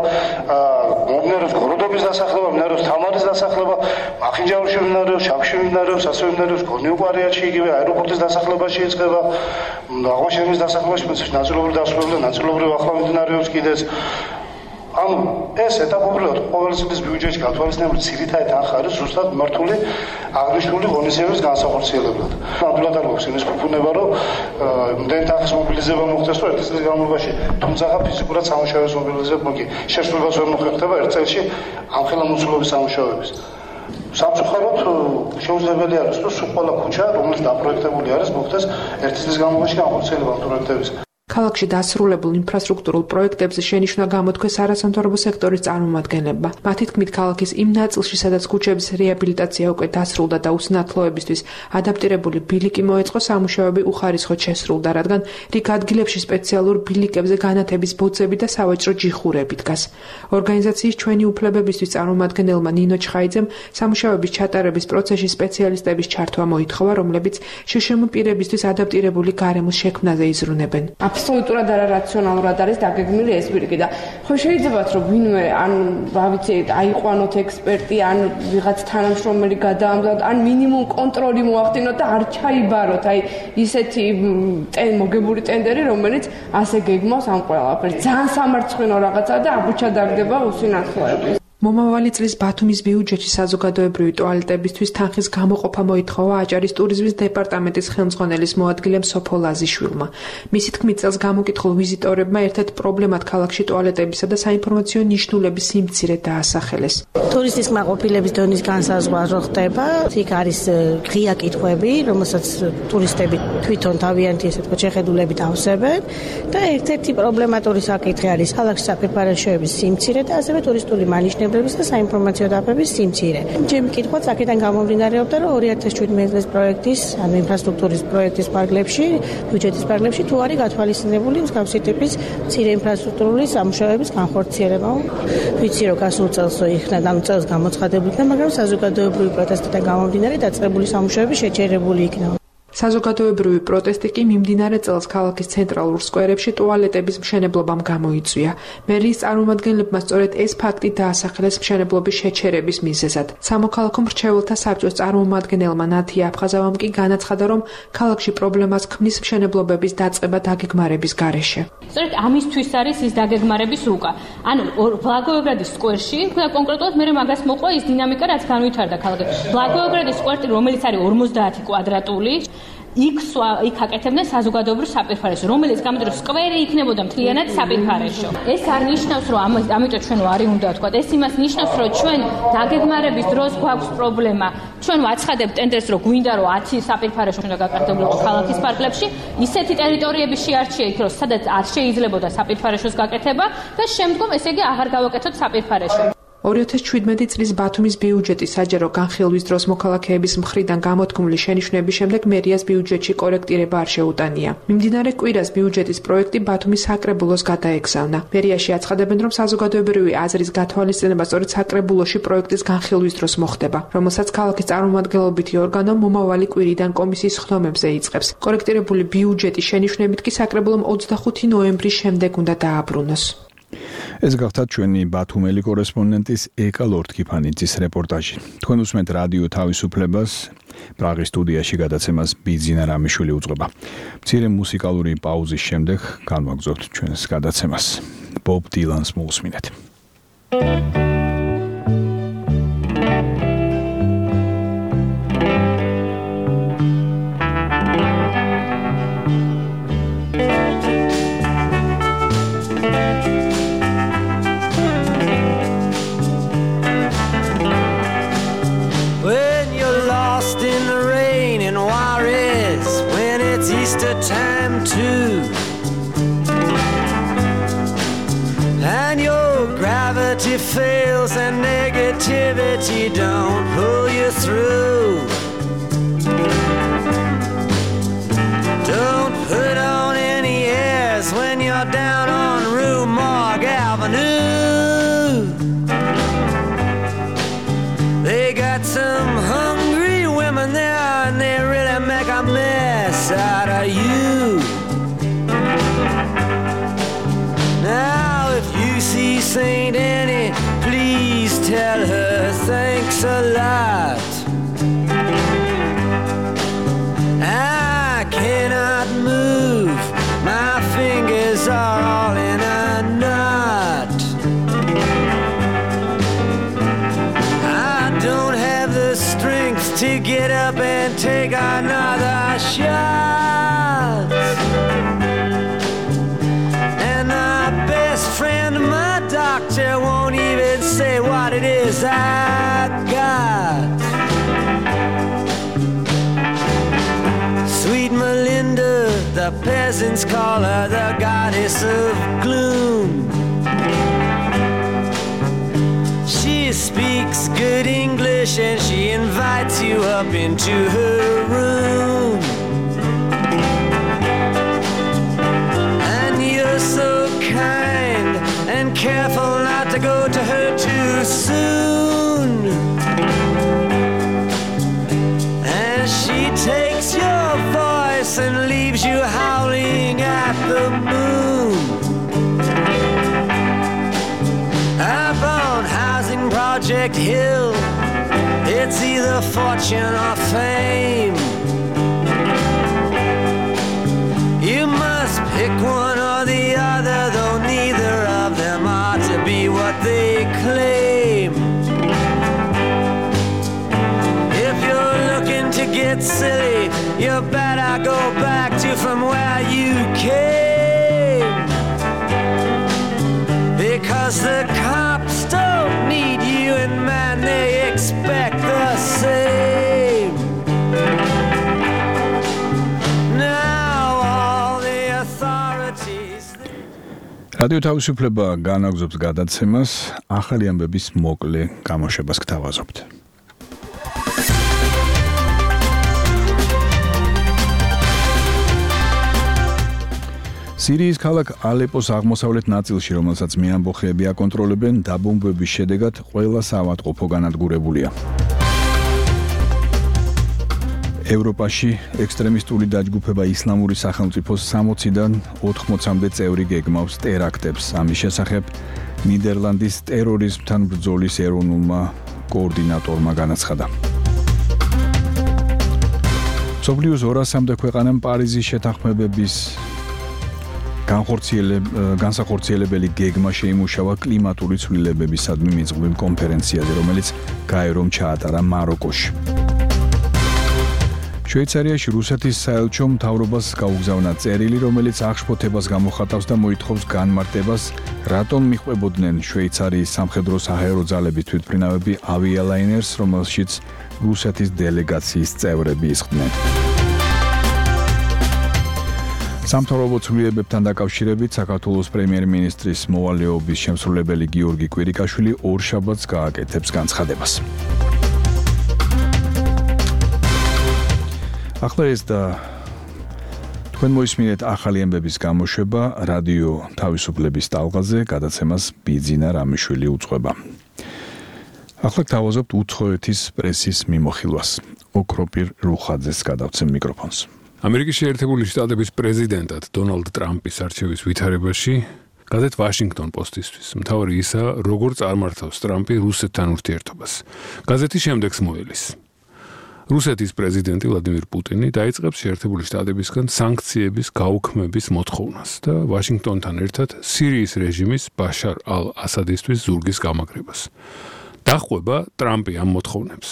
მინარევს გოროდობის დასახლება, მინარევს თამარის დასახლება, მახინჯაურში მინარევს, შავში მინარევს, ასევე მინარევს გონიუყარიათში, იგივე აეროპორტის დასახლებაში იწყება, აღმაშენების დასახლებაში ნაწილობრივ დასრულდა, ნაწილობრივ ახლა მიმდინარეობს კიდეც. ანუ ეს ეტაპობრივად ყოველი წლის ბიუჯეტში გათვალისწინებული ძირითადი თანხა არის ზუსტად მიმართული აღნიშნული ღონისძიების განსახორციელებლად. ნამდვილად არ გვაქვს იმის ფუფუნება, რომ იმდენი თანხის მობილიზება მოხდეს, რომ ერთი წლის განმავლობაში, თუმცა ფიზიკურად სამუშაოების მობილიზება მოგი შესრულებას ვერ მოხერხდება ერთ წელში ამხელა მოცულობის სამუშაოების. სამწუხაროდ შეუძლებელი არის, რომ სულ ყველა ქუჩა, რომელიც დაპროექტებული არის, მოხდეს ერთი წლის განმავლობაში განხორციელება ამ პროექტების. ქალაქში დასრულებულ ინფრასტრუქტურულ პროექტებზე შენიშვნა გამოთქვეს არასამთავრობო სექტორის წარმომადგენლებმა. მათი თქმით, ქალაქის იმ ნაწილში, სადაც ქუჩების რეაბილიტაცია უკვე დასრულდა და უსინათლოებისთვის ადაპტირებული ბილიკი მოეწყო, სამუშაოები უხარისხოდ შესრულდა, რადგან რიგ ადგილებში სპეციალურ ბილიკებზე განათების ბოძები და სავაჭრო ჯიხურები დგას. ორგანიზაციის ჩვენი უფლებებისთვის წარმომადგენელმა ნინო ჩხაიძემ სამუშაოების ჩატარების პროცესში სპეციალისტების ჩართვა მოითხოვა, რომლებიც შშმ პირებისთვის ადაპტირებული გარემოს შექმნაზე იზრუნებენ. აბსოლუტურად არარაციონალურად არის დაგეგმილი ეს ბილიკი და ხო შეიძლებათ რომ ვინმე ან რა ვიცი აიყვანოთ ექსპერტი ან ვიღაც თანამშრომელი გადაამზადოთ ან მინიმუმ კონტროლი მოახდინოთ და არ ჩაიბაროთ აი ისეთი მოგებული ტენდერი რომელიც ასე გეგმავს ამ ყველაფერს ძალიან სამარცხვინო რაღაცა და აბუჩა დაგდება უსინათლოების. მომავალი წლის ბათუმის ბიუჯეტში საზოგადოებრივი ტუალეტებისთვის თანხის გამოყოფა მოითხოვა აჭარის ტურიზმის დეპარტამენტის ხელმძღვანელის მოადგილემ სოფო ლაზიშვილმა. მისი თქმით, წელს გამოკითხულ ვიზიტორებმა ერთ-ერთ პრობლემად ქალაქში ტუალეტებისა და საინფორმაციო ნიშნულების სიმცირე დაასახელეს. ტურისტის კმაყოფილების დონის განსაზღვრა რო ხდება, იქ არის ღია კითხვები, რომელსაც ტურისტები თვითონ თავიანთი ესე ვთქვათ შეხედულებით ავსებენ და ერთ-ერთი პრობლემატური საკითხი არის ქალაქში საპირფარეშოების სიმცირე და ასევე ტურისტული მანიშნები და საინფორმაციო დაფების სიმცირე. ჩემი კითხვაც აქედან გამომდინარეობდა, რომ ორი ათას შვიდმეტი წლის პროექტის, ანუ ინფრასტრუქტურის პროექტის პარკლებში, ბიუჯეტის პარკლებში თუ არის გათვალისწინებული მსგავსი ტიპის მცირე ინფრასტრუქტურული სამუშაოების განხორციელება. ვიცი, რომ გასულ წელს იქნა, ანუ წელს გამოცხადებული იქნა, მაგრამ საზოგადოებრივი პროტესტიდან გამომდინარე დაწყებული სამუშაოები შეჩერებული იქნა. საზოგადოებრივი პროტესტი კი მიმდინარე წელს ქალაქის ცენტრალურ სკვერებში ტუალეტების მშენებლობამ გამოიწვია. მერიის წარმომადგენლებმა სწორედ ეს ფაქტი დაასახელეს მშენებლობის შეჩერების მიზეზად. სამოქალაქო მრჩეველთა საბჭოს წარმომადგენელმა ნათი აფხაზავამ კი განაცხადა, რომ ქალაქში პრობლემას ქმნის მშენებლობების დაწყება დაგეგმარების გარეშე. სწორედ ამისთვის არის ის დაგეგმარების უკა. ანუ ბლაგოევგრადის სკვერში, კონკრეტულად მე მაგას მოყვა ის დინამიკა, რაც განვითარდა ქალაქში. ბლაგოევგრადის სკვერი, რომელიც არის ორმოცდაათი კვადრატული იქ იქ აკეთებდნენ საზოგადოებრივ საპირფარეშოს, რომელიც გამოდრო სკვერი იქნებოდა მთლიანად საპირფარეშო. ეს არ ნიშნავს, რომ ამიტომ ჩვენ ვარი უნდა ვთქვა. ეს იმას ნიშნავს, რომ ჩვენ დაგეგმარების დროს გვაქვს პრობლემა. ჩვენ ვაცხადებთ ტენდერს, რომ გვინდა რომ ათი საპირფარეშო უნდა გაკეთებულიყო ქალაქის პარკლებში, ისეთი ტერიტორიები შეარჩია იქ, რომ სადაც არ შეიძლებოდა საპირფარეშოს გაკეთება და შემდგომ ესე იგი აღარ გავაკეთოთ საპირფარეშო. ორი ათას შვიდმეტი წლის ბათუმის ბიუჯეტის საჯარო განხილვის დროს მოქალაქეების მხრიდან გამოთქმული შენიშვნების შემდეგ მერიას ბიუჯეტში კორექტირება არ შეუტანია. მიმდინარე კვირას ბიუჯეტის პროექტი ბათუმის საკრებულოს გადაეგზავნა. მერიაში აცხადებენ, რომ საზოგადოებრივი აზრის გათვალისწინება სწორედ საკრებულოში პროექტის განხილვის დროს მოხდება, რომელსაც ქალაქის წარმომადგენლობითი ორგანო მომავალი კვირიდან კომისიის ხდომებზე იწყებს. კორექტირებული ბიუჯეტის შენიშვნებით კი საკრებულომ ოცდახუთი ნოემბრის შემდეგ უნდა დააბრუნოს. ეს გახდათ ჩვენი ბათუმელი კორესპონდენტის ეკა ლორთქიფანიძის რეპორტაჟი. თქვენ უსმენთ რადიო თავისუფლებას, პრაღის სტუდიაში გადაცემას ბიძინა რამიშვილი უძღვება. მცირე მუსიკალური პაუზის შემდეგ განვაგრძობთ ჩვენს გადაცემას. ბობ დილანს მოусმინეთ. Time too, and your gravity fails and negativity don't pull you through. Don't put on any airs when you're down on Rue Morgue Avenue. They got some hungry women there and they really make a mess out of you. Now if you see Saint Annie, please tell her thanks a lot. I cannot move, my fingers are all in a knot. I don't have the strength to get up and take another shot. And my best friend, my doctor, won't even say what it is I got. Sweet Melinda, the peasants call her the goddess of gloom. She speaks good English and she invites you up into her room. And you're so kind and careful not to go to her too soon. And she takes your voice and leaves you howling at the moon. Up on Housing Project Hill, it's either fortune or fame. You must pick one or the other, though neither of them ought to be what they claim. If you're looking to get silly, you better go back to from where you came. Because the cops don't need you, and man, they expect the same. Now all the authorities. რადიო თავისუფლება განაგზობს გადაცემას, ახალი ამბების მოკლე გამოშვებას გთავაზობთ. სირიის ქალაქ ალეპოს აღმოსავლეთ ნაწილში, რომელსაც მეამბოხეები აკონტროლებენ, დაბომბვების შედეგად ყველა საავადმყოფო განადგურებულია. ევროპაში ექსტრემისტული დაჯგუფება ისლამური სახელმწიფოს სამოციდან ოთხმოცამდე წევრი გეგმავს ტერაქტებს. ამის შესახებ ნიდერლანდის ტერორიზმთან ბრძოლის ეროვნულმა კოორდინატორმა განაცხადა. მსოფლიოს ორასამდე ქვეყანამ პარიზის შეთანხმებების განსახორციელებელი გეგმა შეიმუშავა კლიმატური ცვლილებებისადმი მიღწეულ კონფერენციაზე, რომელიც გაერომ ჩაატარა მაროკოში. შვეიცარიაში რუსეთის საელჩო მთავრობას გაუგზავნა წერილი, რომელიც აღშფოთებას გამოხატავს და მოითხოვს განმარტებას, რატომ მიყვებოდნენ შვეიცარიის სამხედრო საჰაერო ძალების თვითმფრინავები ავიალაინერს, რომელშიც რუსეთის დელეგაციის წევრები ისხდნენ. სამთავრობო ცვლილებებთან დაკავშირებით საქართველოს პრემიერ-მინისტრის მოვალეობის შემსრულებელი გიორგი კვირიკაშვილი ორშაბათს გააკეთებს განცხადებას. ახლა ეს და თქვენ მოისმინეთ ახალი ამბების გამოშვება რადიო თავისუფლების ტალღაზე, გადაცემას ბიძინა რამიშვილი უძღვება. ახლა თავაზობთ უცხოეთის პრესის მიმოხილვას. ოქროპირ რუხაძეს გადავცემ მიკროფონს. ამერიკის შეერთებული შტატების პრეზიდენტად დონალდ ტრამპის არჩევის ვითარებაში გაზეთ ვაშინგტონ პოსტისთვის მთავარი ისაა, როგორ წარმართავს ტრამპი რუსეთთან ურთიერთობას. გაზეთი შემდეგს მოელის. რუსეთის პრეზიდენტი ვლადიმირ პუტინი დაიწყებს შეერთებული შტატებისგან სანქციების გაუქმების მოთხოვნას და ვაშინგტონთან ერთად სირიის რეჟიმის ბაშარ ალ-ასადისთვის ზურგის გამაგრებას. დახვება ტრამპი ამ მოთხოვნებს.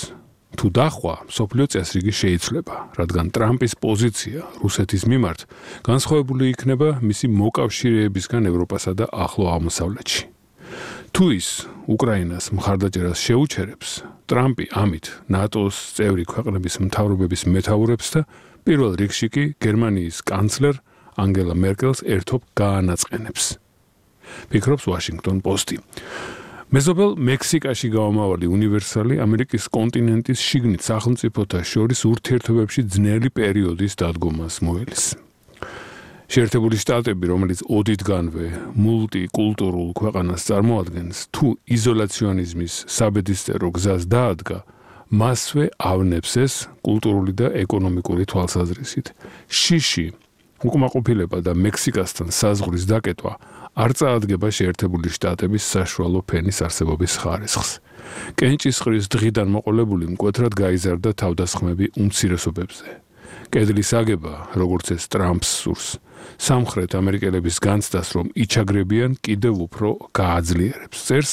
თუ დახვა, მსოფლიო წესრიგი შეიცვლება, რადგან ტრამპის პოზიცია რუსეთის მიმართ განსხვავებული იქნება მისი მოკავშირეებისგან ევროპასა და ახლო აღმოსავლეთში. თუ ის უკრაინას მხარდაჭერას შეუჩერებს, ტრამპი ამით ნატოს წევრი ქვეყნების მთავრობების მეთაურებს და პირველ რიგში კი გერმანიის კანცლერ ანგელა მერკელს ერთობ გაანაწყენებს. ფიქრობს ვაშინგტონ პოსტი. მეზობელ მექსიკაში გამომავალი უნივერსალი ამერიკის კონტინენტის შიგნით სახელმწიფოთა შორის ურთიერთობებში ძნელი პერიოდის დადგომას მოელის. შეერთებული შტატები, რომელიც ოდითგანვე მულტიკულტურულ ქვეყანას წარმოადგენს, თუ იზოლაციონიზმის საბედისწერო გზას დაადგა, მასვე ავნებს ეს კულტურული და ეკონომიკური თვალსაზრისით. შიში, უკმაყოფილება და მექსიკასთან საზღვრის დაკეტვა არ წაადგება შეერთებული შტატების საშუალო ფენის არსებობის ხარისხს. კენჭისყრის დღიდან მოყოლებული მკვეთრად გაიზარდა თავდასხმები უმცირესობებზე. კედლის აგება, როგორც ეს ტრამპს სურს, სამხრეთ ამერიკელების განცდას, რომ იჩაგრებიან, კიდევ უფრო გააძლიერებს. წერს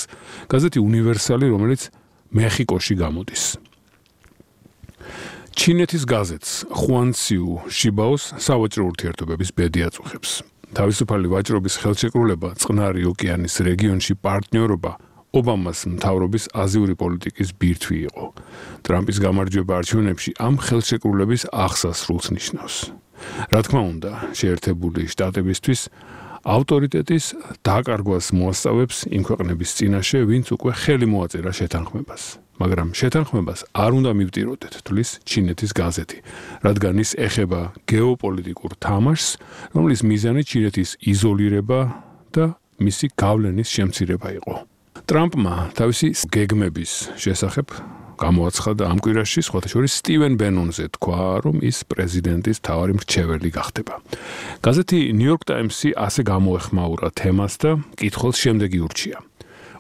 გაზეთი უნივერსალი, რომელიც მეხიკოში გამოდის. ჩინეთის გაზეთს ხუანციუ შიბაოს სავაჭრო ურთიერთობების ბედი აწუხებს. თავისუფალი ვაჭრობის ხელშეკრულება წყნარი ოკეანის რეგიონში პარტნიორობა ობამას მთავრობის აზიური პოლიტიკის ბირთვი იყო. ტრამპის გამარჯვება არჩევნებში ამ ხელშეკრულების აღსასრულს ნიშნავს. რა თქმა უნდა, შეერთებული შტატებისთვის ავტორიტეტის დაკარგვას მოასწავებს იმ ქვეყნების წინაშე, ვინც უკვე ხელი მოაწერა შეთანხმებას. მაგრამ შეთანხმებას არ უნდა მივტიროდეთ, თვლის ჩინეთის გაზეთი, რადგან ის ეხება გეოპოლიტიკურ თამაშს, რომლის მიზანი ჩინეთის იზოლირება და მისი გავლენის შემცირება იყო. ტრამპმა თავისი გეგმების შესახებ გამოაცხადა ამ კვირაში, სხვათა შორის სტივენ ბენონზე თქვა, რომ ის პრეზიდენტის მთავარი მრჩეველი გახდება. გაზეთი New York Times-ი ასე გამოეხმაურა თემას და კითხვას შემდეგი ურჩია.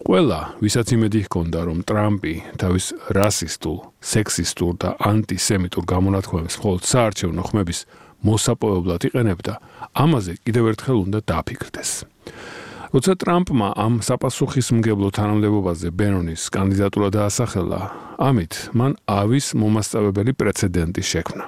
ყველა, ვისაც იმედი ჰქონდა, რომ ტრამპი თავის რასისტულ, სექსისტურ და ანტისემიტურ გამონათქვამებს მხოლოდ საარჩევნო ხმების მოსაპოვებლად იყენებდა, ამაზე კიდევ ერთხელ უნდა დააფიქრდეს. როცა ტრამპმა ამ საპასუხისმგებლო თანამდებობაზე ბენონის კანდიდატურა დაასახელა, ამით მან ავის მომასწავებელი პრეცედენტი შექმნა.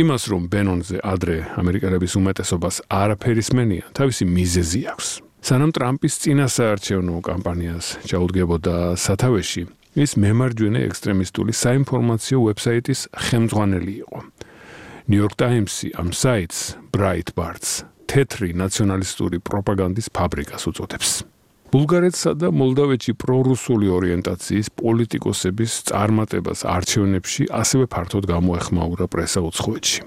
იმას, რომ ბენონზე ადრე ამერიკელების უმეტესობას არაფერი სმენია, თავისი მიზეზი აქვს. სანამ ტრამპის წინასაარჩევნო კამპანიას ჩაუდგებოდა სათავეში, ის მემარჯვენე ექსტრემისტული საინფორმაციო ვებსაიტის ხელმძღვანელი იყო. New York Times-ი ამ საიტს Breitbart's თეთრი ნაციონალისტური პროპაგანდის ფაბრიკას უწოდებს. ბულგარეთსა და მოლდავეთში პრორუსული ორიენტაციის პოლიტიკოსების წარმატებას არჩევნებში ასევე ფართოდ გამოეხმაურა პრესა უცხოეთში.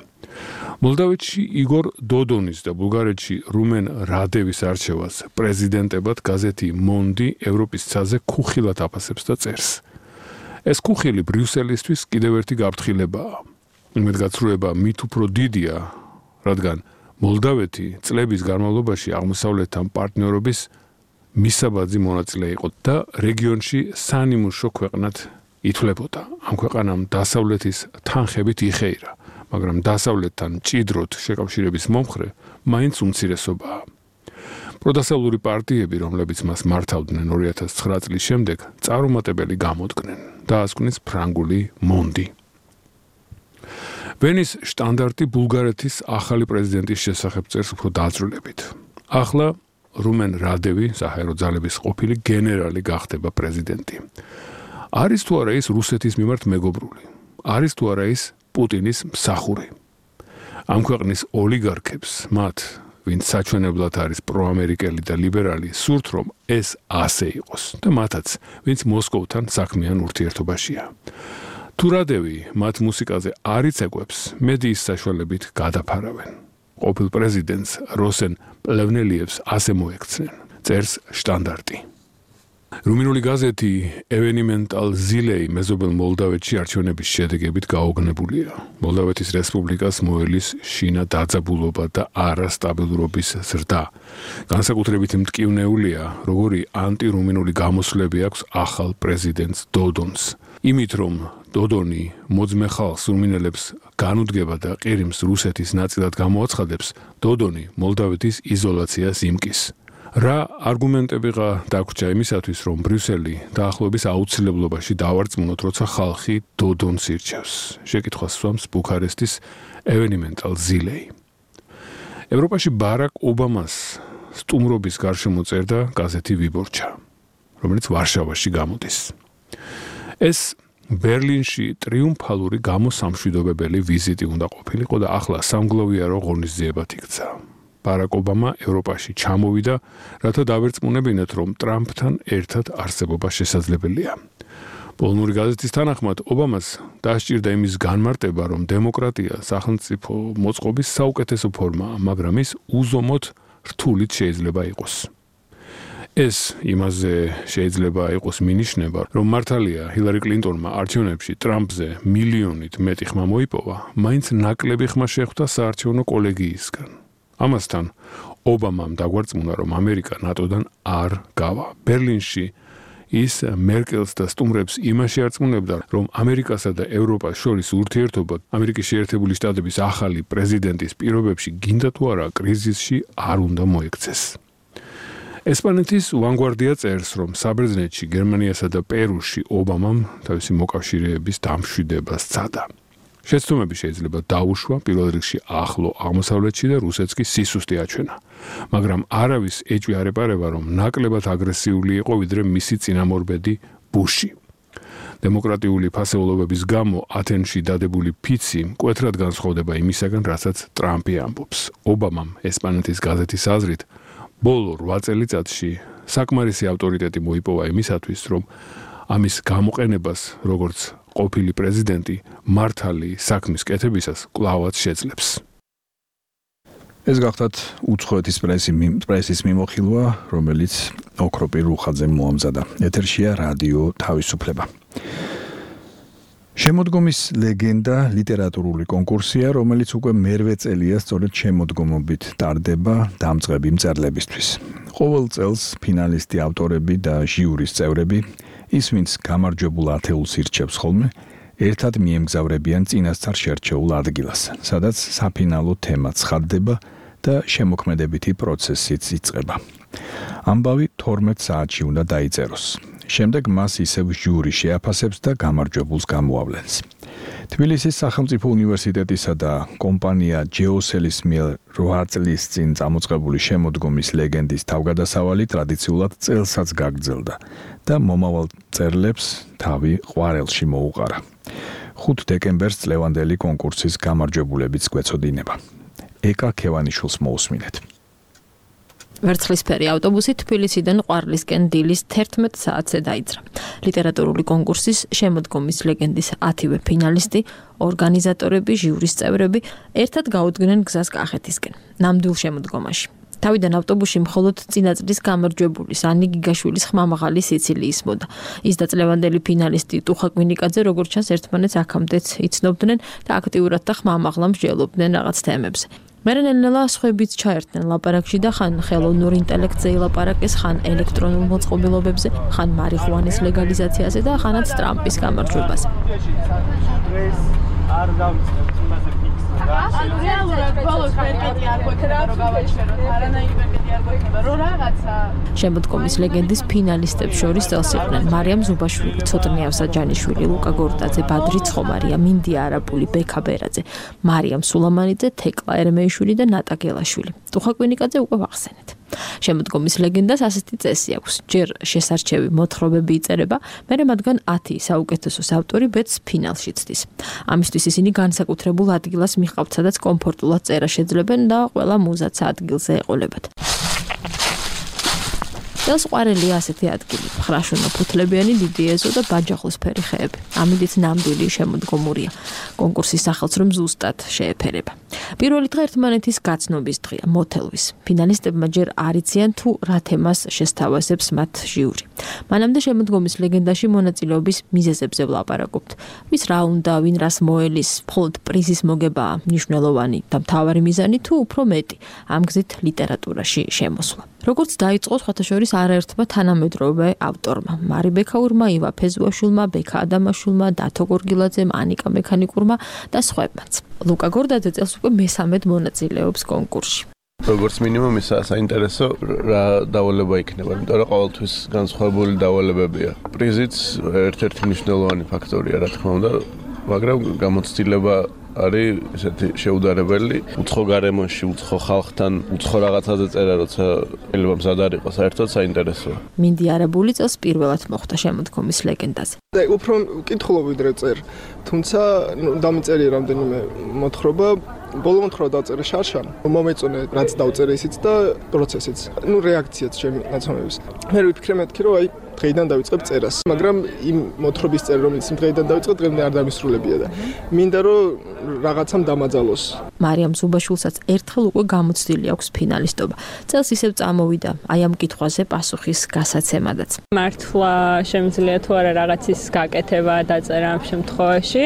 მოლდავეთში იგორ დოდონის და ბულგარეთში რუმენ რადევის არჩევას პრეზიდენტებად გაზეთი მონდი ევროპის ცაზე ქუხილად აფასებს და წერს. ეს ქუხილი ბრიუსელისთვის კიდევ ერთი გაფრთხილებაა. იმედგაცრუება მით უფრო დიდია, რადგან მოლდავეთი წლების განმავლობაში აღმოსავლეთთან პარტნიორობის მისაბაძი მონაწილე იყო და რეგიონში სანიმუშო ქვეყნად ითვლებოდა. ამ ქვეყანამ დასავლეთის თანხებით იხეირა, მაგრამ დასავლეთთან მჭიდროდ შეკავშირების მომხრე მაინც უმცირესობაა. პროდასავლური პარტიები, რომლებიც მას მართავდნენ ორი ათას ცხრა წლის შემდეგ, წარუმატებელი გამოდგნენ. დაასკვნის ფრანგული მონდი. ვენის შტანდარტი ბულგარეთის ახალი პრეზიდენტის შესახებ წერს უფრო დაწვრილებით. ახლა რუმენ რადევი, საჰაერო ძალების ყოფილი გენერალი გახდება პრეზიდენტი. არის თუ არა ის რუსეთის მიმართ მეგობრული? არის თუ არა ის პუტინის მსახური? ამ ქვეყნის ოლიგარქებს, მათ, ვინც საჩვენებლად არის პროამერიკელი და ლიბერალი, სურთ რომ ეს ასე იყოს და მათაც, ვინც მოსკოვთან საქმიან ურთიერთობაშია. თუ რადევი მათ მუსიკაზე არ იცეკვებს, მედიის საშუალებით გადაფარავენ. ყოფილ პრეზიდენტს როსენ პლევნელიევს ასე მოექცნენ. წერს შტანდარტი. რუმინული გაზეთი ევენიმენტალ ზილეი მეზობელ მოლდავეთში არჩევნების შედეგებით გაოგნებულია. მოლდავეთის რესპუბლიკას მოელის შინა დაძაბულობა და არასტაბილურობის ზრდა. განსაკუთრებით მტკივნეულია, როგორი ანტირუმინული გამოსვლები აქვს ახალ პრეზიდენტს დოდონს. იმით რომ დოდონი მოძმე ხალხს რუმინელებს განუდგება და ყირიმს რუსეთის ნაწილად გამოაცხადებს, დოდონი მოლდავეთის იზოლაციას იმკის. რა არგუმენტებიღა დაგვრჩა იმისათვის, რომ ბრიუსელი დაახლოების აუცილებლობაში დავარწმუნოთ, როცა ხალხი დოდონს ირჩევს. შეკითხვას სვამს ბუქარესტის ევენიმენტალ ზილეი. ევროპაში ბარაკ ობამას სტუმრობის გარშემო წერდა გაზეთი ვიბორჩა, რომელიც ვარშავაში გამოდის. ეს ბერლინში ტრიუმფალური გამოსამშვიდობებელი ვიზიტი უნდა ყოფილიყო და ახლა სამგლოვიარო ღონისძიებად იქცა. ბარაკ ობამა ევროპაში ჩამოვიდა, რათა დავერწმუნებინათ, რომ ტრამპთან ერთად არსებობა შესაძლებელია. პოლონური გაზეთის თანახმად, ობამას დასჭირდა იმის განმარტება, რომ დემოკრატია სახელმწიფო მოწყობის საუკეთესო ფორმაა, მაგრამ ის უზომოდ რთულით შეიძლება იყოს. ეს იმაზე შეიძლება იყოს მინიშნება, რომ მართალია ჰილარი კლინტონმა არჩევნებში ტრამპზე მილიონით მეტი ხმა მოიპოვა, მაინც ნაკლები ხმა შეხვდა საარჩევნო კოლეგიისგან. ამასთან ობამამ დაგვარწმუნა, რომ ამერიკა ნატოდან არ გავა. ბერლინში ის მერკელს და სტუმრებს იმაში არწმუნებდა, რომ ამერიკასა და ევროპას შორის ურთიერთობა ამერიკის შეერთებული შტატების ახალი პრეზიდენტის პირობებში გინდა თუ არა კრიზისში არ უნდა მოექცეს. ესპანეთის ვანგوارდია წერს, რომ საბერძნეთში, გერმანიასა და პერუში ობამამ თავისი მოკავშირეების დამშვიდება სცადა. შეცდომები შეიძლება დაუშვა პირველ რიგში ახლო აღმოსავლეთში და რუსეთს კი სისუსტე აჩვენა. მაგრამ არავის ეჭვი არ ეპარება, რომ ნაკლებად აგრესიული იყო ვიდრე მისი წინამორბედი ბუში. დემოკრატიული ფასეულობების გამო ათენში დადებული ფიცი მკვეთრად განსხვავდება იმისაგან, რასაც ტრამპი ამბობს. ობამამ ესპანეთის გაზეთის აზრით ბოლო რვა წელიწადში საკმარისი ავტორიტეტი მოიპოვა იმისათვის, რომ ამის გამოყენებას, როგორც ყოფილი პრეზიდენტი, მართალი საქმის კეთებისას კვლავაც შეძლებს. ეს გახდათ უცხოეთის პრესის მიმოხილვა, რომელიც ოქროპირ რუხაძემ მოამზადა. ეთერშია რადიო თავისუფლება. შემოდგომის ლეგენდა ლიტერატურული კონკურსია, რომელიც უკვე მერვე წელია სწორედ შემოდგომობით ტარდება დამწყები მწერლებისთვის. ყოველ წელს ფინალისტი ავტორები და ჟიურის წევრები, ის ვინც გამარჯვებულ ათეულს ირჩევს ხოლმე, ერთად მიემგზავრებიან წინასწარ შერჩეულ ადგილას, სადაც საფინალო თემა ცხადდება და შემოქმედებითი პროცესიც იწყება. ამბავი თორმეტ საათში უნდა დაიწეროს. შემდეგ მას ისევ ჟიური შეაფასებს და გამარჯვებულს გამოავლენს. თბილისის სახელმწიფო უნივერსიტეტისა და კომპანია ჯეოსელის მიერ რვა წლის წინ წამოწყებული შემოდგომის ლეგენდის თავგადასავალი ტრადიციულად წელსაც გაგრძელდა და მომავალ მწერლებს თავი ყვარელში მოუყარა. ხუთ დეკემბერს წლევანდელი კონკურსის გამარჯვებულებიც გვეცოდინება. ეკა ქევანიშვილს მოусმინეთ. ვერცხლისფერი ავტობუსი თბილისიდან ყვარლისკენ დილის თერთმეტ საათზე დაიძრა. ლიტერატურული კონკურსის შემოდგომის ლეგენდის ათივე ფინალისტი, ორგანიზატორები, ჟიურის წევრები ერთად გაუდგნენ გზას კახეთისკენ, ნამდვილ შემოდგომაში. თავიდან ავტობუსში მხოლოდ წინაწლის გამარჯვებულის ანი გიგაშვილის ხმამაღალი სიცილი ისმოდა. ის და წლევანდელი ფინალისტი ტუხა კვინიკაძე როგორც ჩანს ერთმანეთს აქამდეც იცნობდნენ და აქტიურად და ხმამაღლა მსჯელობდნენ რაღაც თემებზე. მერენელელა სხვაებიც ჩაერთნენ ლაპარაკში და ხან ხელოვნურ ინტელექტზე ილაპარაკეს, ხან ელექტრონულ მოწყობილობებზე, ხან მარიხუანის ლეგალიზაციაზე და ხანაც ტრამპის გამარჯვებაზე. დავიწყებთ იმაზე ფიქსირება. ანუ რეალურად ბოლოს პერკეტი არ გვექნება რომ გავაჩეროთ, არანაირი პერკეტი არ გვექნება რომ რაღაცა. შემოდგომის ლეგენდის ფინალისტებს შორის წელს იყვნენ მარიამ ზუბაშვილი, ცოტნე ავსაჯანიშვილი, ლუკა გორდაძე, ბადრი ცხომარია, მინდია არაპული, ბექა ბერაძე, მარიამ სულამანიძე, თეკლა ერმეიშვილი და ნატა გელაშვილი. ტუხა კვინიკაძე უკვე ვახსენეთ. შემოდგომის ლეგენდას ასეთი წესი აქვს. ჯერ შესარჩევი მოთხრობები იწერება, მერე მათგან ათი საუკეთესოს ავტორი ბედს ფინალში ცდის. ამისთვის ისინი განსაკუთრებულ ადგილას მიჰყავთ, სადაც კომფორტულად წერა შეძლებენ და ყველა მუზაც ადგილზე ეყოლებათ. წელს ყვარელია ასეთი ადგილი, ხრაშუნა ფუთლებიანი დიდი ეზო და ბაჯახოსფერი ხეები. ამით ნამდვილი შემოდგომურია. კონკურსის სახელს რომ ზუსტად შეეფერება. პირველი დღე ერთმანეთის გაცნობის დღეა, მოთელვის. ფინალისტებმა ჯერ არ იციან თუ რა თემას შესთავაზებს მათ ჟიური. მანამდე შემოდგომის ლეგენდაში მონაწილეობის მიზეზებზე ვლაპარაკობთ. ვის რა უნდა, ვინ რას მოელის, მხოლოდ პრიზის მოგებაა მნიშვნელოვანი და მთავარი მიზანი თუ უფრო მეტი, ამ გზით ლიტერატურაში შემოსვლა. როგორც დაიწყო სხვათა შორის არაერთმა თანამედროვე ავტორმა, მარი ბექაურმა, ივა ფეზუაშვილმა, ბექა ადამაშვილმა, დათო გორგილაძემ, ანიკა მექანიკურმა და სხვებმაც. ლუკა გორდაძე წელს უკვე მესამედ მონაწილეობს კონკურსში. როგორც მინიმუმ ისა საინტერესო რა დავალება იქნება, იმიტომ რომ ყოველთვის განსხვავებული დავალებებია. პრიზიც ერთ-ერთი მნიშვნელოვანი ფაქტორია, რა თქმა უნდა, მაგრამ გამოცდილება არის ესეთი შეუდარებელი, უცხო გარემოში, უცხო ხალხთან, უცხო რაღაცაზე წერა, როცა შეიძლება მზად არ იყოს, საერთოდ საინტერესოა. მინდი არაბული წელს პირველად მოხვდა შემოდგომის ლეგენდაზე. და უფრო მკითხულობ ვიდრე წერ, თუმცა დამწერია რამდენიმე მოთხრობა, ბოლო მოთხრობა დაწერე შარშან, მომეწონე რაც დავწერე ისიც და პროცესიც, ну რეაქციაც ჩემი ნაცნობების. მე ვიფიქრე მეთქი რომ აი დღეიდან დავიწყებ წერას, მაგრამ იმ მოთხრობის წერა რომელიც დღეიდან დავიწყე, დღემდე არ დამისრულებია და მინდა რომ რაღაცამ დამაძალოს. მარიამ ზუბაშვილსაც ერთხელ უკვე გამოცდილი აქვს ფინალისტობა. წელს ისევ წამოვიდა აი ამ კითხვაზე პასუხის გასაცემადაც. მართლა შემიძლია თუ არა რაღაცის გაკეთება დაწერა ამ შემთხვევაში,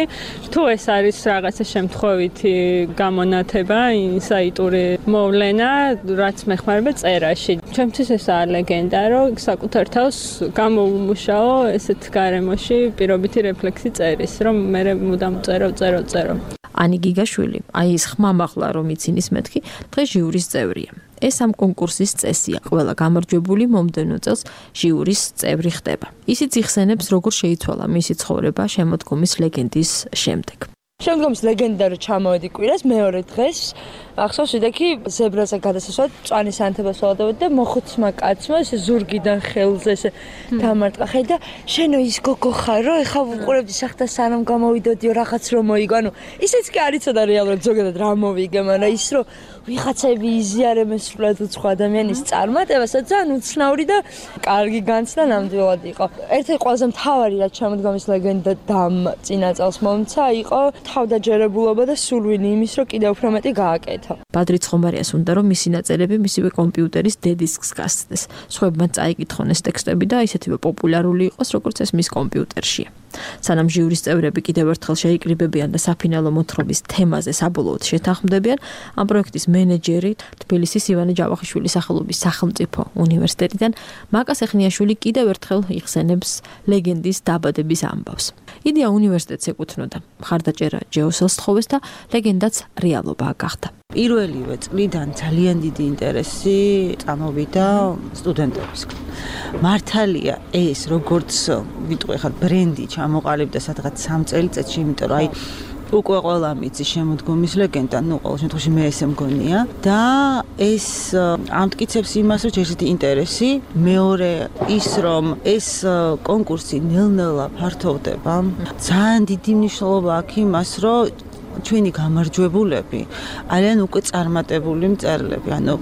თუ ეს არის რაღაცა შემთხვევითი გამონათება, ინსაიტური მოვლენა, რაც მეხმარება წერაში. ჩემთვის ესაა ლეგენდა, რომ საკუთარ თავს გამოუმუშაო ესეთ გარემოში პირობითი რეფლექსი წერის, რომ მე მუდამ წერო, წერო, წერო. ანი გიგაშვილი, აი ეს ხმამაღლა რომ იცინის მეთქი, დღეს ჟიურის წევრია. ეს ამ კონკურსის წესია. ყველა გამარჯვებული მომდევნო წელს ჟიურის წევრი ხდება. ისიც იხსენებს, როგორ შეიცვალა მისი ცხოვრება შემოდგომის ლეგენდის შემდეგ. შემდგომის ლეგენდა რომ ჩამოვედი კვირას მეორე დღეს ახსოვს ვიდექი ზებრაზე გადასასვლელად მწვანე სანთებას ველოდებოდი და მოხუცმა კაცმა ესე ზურგიდან ხელზე ესე დამარტყა ხე და შენო ის გოგო ხარ რომ ეხა ვუყურებდი სახთა სანამ გამოვიდოდიო რაღაც რომ მოიგო ანუ ისიც კი არ იცოდა რეალურად ზოგადად რა მოვიგე მაგრამ ის რომ ვიღაცები იზიარებენ სულად უცხო ადამიანის წარმატებას და ძალიან უცნაური და კარგი განცდა ნამდვილად იყო. ერთ-ერთი ყველაზე მთავარი რაც შემოდგომის ლეგენდა დამ წინა წელს მომცა იყო თავდაჯერებულობა და სულვინი იმის რომ კიდევ უფრო მეტი გააკეთა. ბადრი ცხომარიას უნდა რომ მისი ნაწერები მისივე კომპიუტერის დედისკს გასცდეს. სხვებმა წაიკითხონ ეს ტექსტები და ისეთივე პოპულარული იყოს როგორც ეს მის კომპიუტერშია. სანამ ჟიურის წევრები კიდევ ერთხელ შეიკრიბებიან და საფინალო მოთხრობის თემაზე საბოლოოდ შეთანხმდებიან, ამ პროექტის მენეჯერი თბილისის ივანე ჯავახიშვილის სახელობის სახელმწიფო უნივერსიტეტიდან მაკა სეხნიაშვილი კიდევ ერთხელ იხსენებს ლეგენდის დაბადების ამბავს. იდეა უნივერსიტეტს ეკუთვნოდა. მხარდაჭერა ჯეოსელს თხოვეს და ლეგენდაც რეალობა გახდა. პირველივე წლიდან ძალიან დიდი ინტერესი წამოვიდა სტუდენტებისგან. მართალია ეს როგორც ვიტყვი ხარ ბრენდი ჩამოყალიბდა სადღაც სამ წელიწადში, იმიტომ რომ აი უკვე ყველა მიცი შემოდგომის ლეგენდა, ну, ყოველ შემთხვევაში მე ესე მგონია და ეს ამტკიცებს იმას, რომ ჯერჯერობით ინტერესი, მეორე ის რომ ეს კონკურსი ნელ-ნელა ფართოვდება. ძალიან დიდი მნიშვნელობა აქვს იმას, რომ ჩვენი გამარჯვებულები არიან უკვე წარმატებული მწერლები, ანუ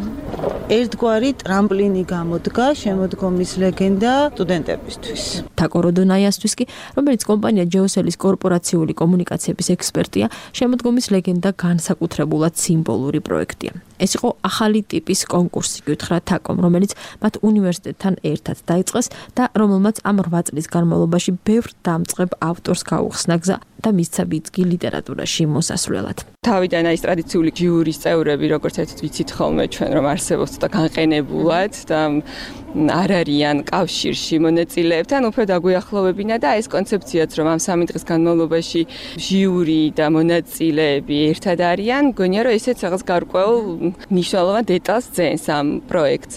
ერთგვარი ტრამპლინი გამოდგა შემოდგომის ლეგენდა სტუდენტებისთვის. თაკო როდონაიასთვის კი, რომელიც კომპანია ჯეოსელის კორპორაციული კომუნიკაციების ექსპერტია, შემოდგომის ლეგენდა განსაკუთრებულად სიმბოლური პროექტია. ეს იყო ახალი ტიპის კონკურსი, გითხრა თაკომ, რომელიც მათ უნივერსიტეტთან ერთად დაიწყეს და რომელმაც ამ რვა წლის განმავლობაში ბევრ დამწყებ ავტორს გაუხსნა გზა და მისცა ბიძგი ლიტერატურაში მოსასვლელად. თავიდან აი ტრადიციული ჟიურის წევრები, როგორც ერთად ვიცით ხოლმე ჩვენ რომ არსებობს და განყენებულად და არ არიან კავშირში მონაწილეებთან, უფრო დაგვიახლოვებინა და ეს კონცეფციაც რომ ამ სამი დღის განმავლობაში ჟიური და მონაწილეები ერთად არიან, მგონია რომ ესეც რაღაც გარკვეულ მნიშვნელოვან დეტალს ძენს ამ პროექტს.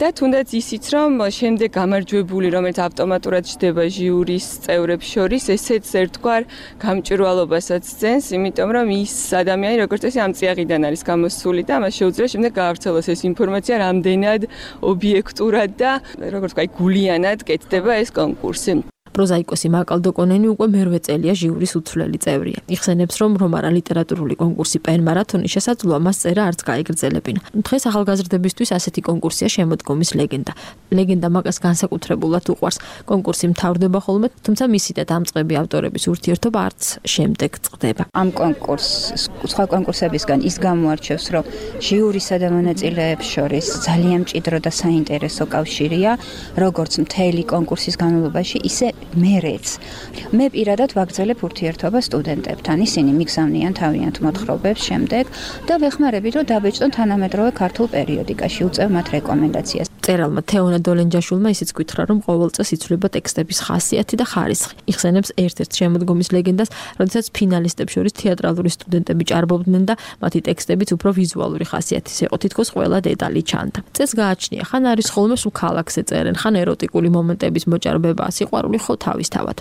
და თუნდაც ისიც რომ შემდეგ გამარჯვებული, რომელიც ავტომატურად ჩდება ჟიურის წევრებს შორის, ესეც ერთგვარ გამჭვირვალობასაც ძენს, იმიტომ რომ ის ადამიანი როგორც წესი ამ წიაღიდან არის გამოსული და მას შეუძლია შემდეგ გაავრცელოს ეს ინფორმაცია რამდენად ობიექტურად და როგორც ვთქვი, გულიანად კეთდება ეს კონკურსი. პროზაიკოსი მაკალდოკონენი უკვე მერვე წელია ჟიურის უცვლელი წევრია. იხსენებს, რომ რომარა ლიტერატურული კონკურსი პენ მარათონი შესაძლოა მას წერა არც გაეგრძელებინა. დღეს ახალგაზრდებისთვის ასეთი კონკურსია შემოდგომის ლეგენდა. ლეგენდა მაგას განსაკუთრებულად უყვარს. კონკურსი მთავრდება ხოლმე, თუმცა მისი და დამწყები ავტორების ურთიერთობა არც შემდეგ წყდება. ამ კონკურსს სხვა კონკურსებისგან ის გამოარჩევს, რომ ჟიურისა და მონაწილეებს შორის ძალიან მჭიდრო და საინტერესო კავშირია, როგორც მთელი კონკურსის განმავლობაში, ისე მერეც. მე პირადად ვაგრძელებ ურთიერთობა სტუდენტებთან. ისინი მიგზავნიან თავიანთ მოთხრობებს შემდეგ და ვეხმარებით, რომ დაბეჭდონ თანამედროვე ქართულ პერიოდიკაში, უწევ მათ რეკომენდაციას. წერალმა თეონა დოლენჯაშულმა ისიც გითხრა, რომ ყოველ წელს იცვლება ტექსტების ხასიათი და ხარისხი. იხსენებს ერთ-ერთ შემოდგომის ლეგენდას, როდესაც ფინალისტებს შორის თეატრალური სტუდენტები ჭარბობდნენ და მათი ტექსტებიც უფრო ვიზუალური ხასიათის იყო, თითქოს ყველა დეტალი ჩანდა. წელს გააჩნია, ხან არის ხოლმე სულ ქალაქზე წერენ, ხან ეროტიკული მომენტების მოჭარბება, სიყვარული ხო თავისთავად.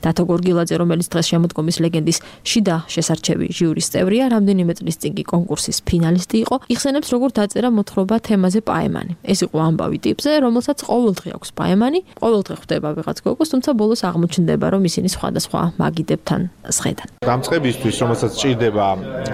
დათო გორგილაძე, რომელიც დღეს შემოდგომის ლეგენდის შიდა შესარჩევი ჟიურის წევრია, რამდენიმე წლის წინ კი კონკურსის ფინალისტი იყო, იხსენებს, როგორ დაწერა მოთხრობა თემაზე პაემანი. ეს იყო ამბავი ტიპზე, რომელსაც ყოველდღე აქვს პაემანი, ყოველდღე ხვდება ვიღაც გოგოს, თუმცა ბოლოს აღმოჩნდება, რომ ისინი სხვადასხვა მაგიდებთან სხედან. დამწყებისთვის, რომელსაც ჭირდება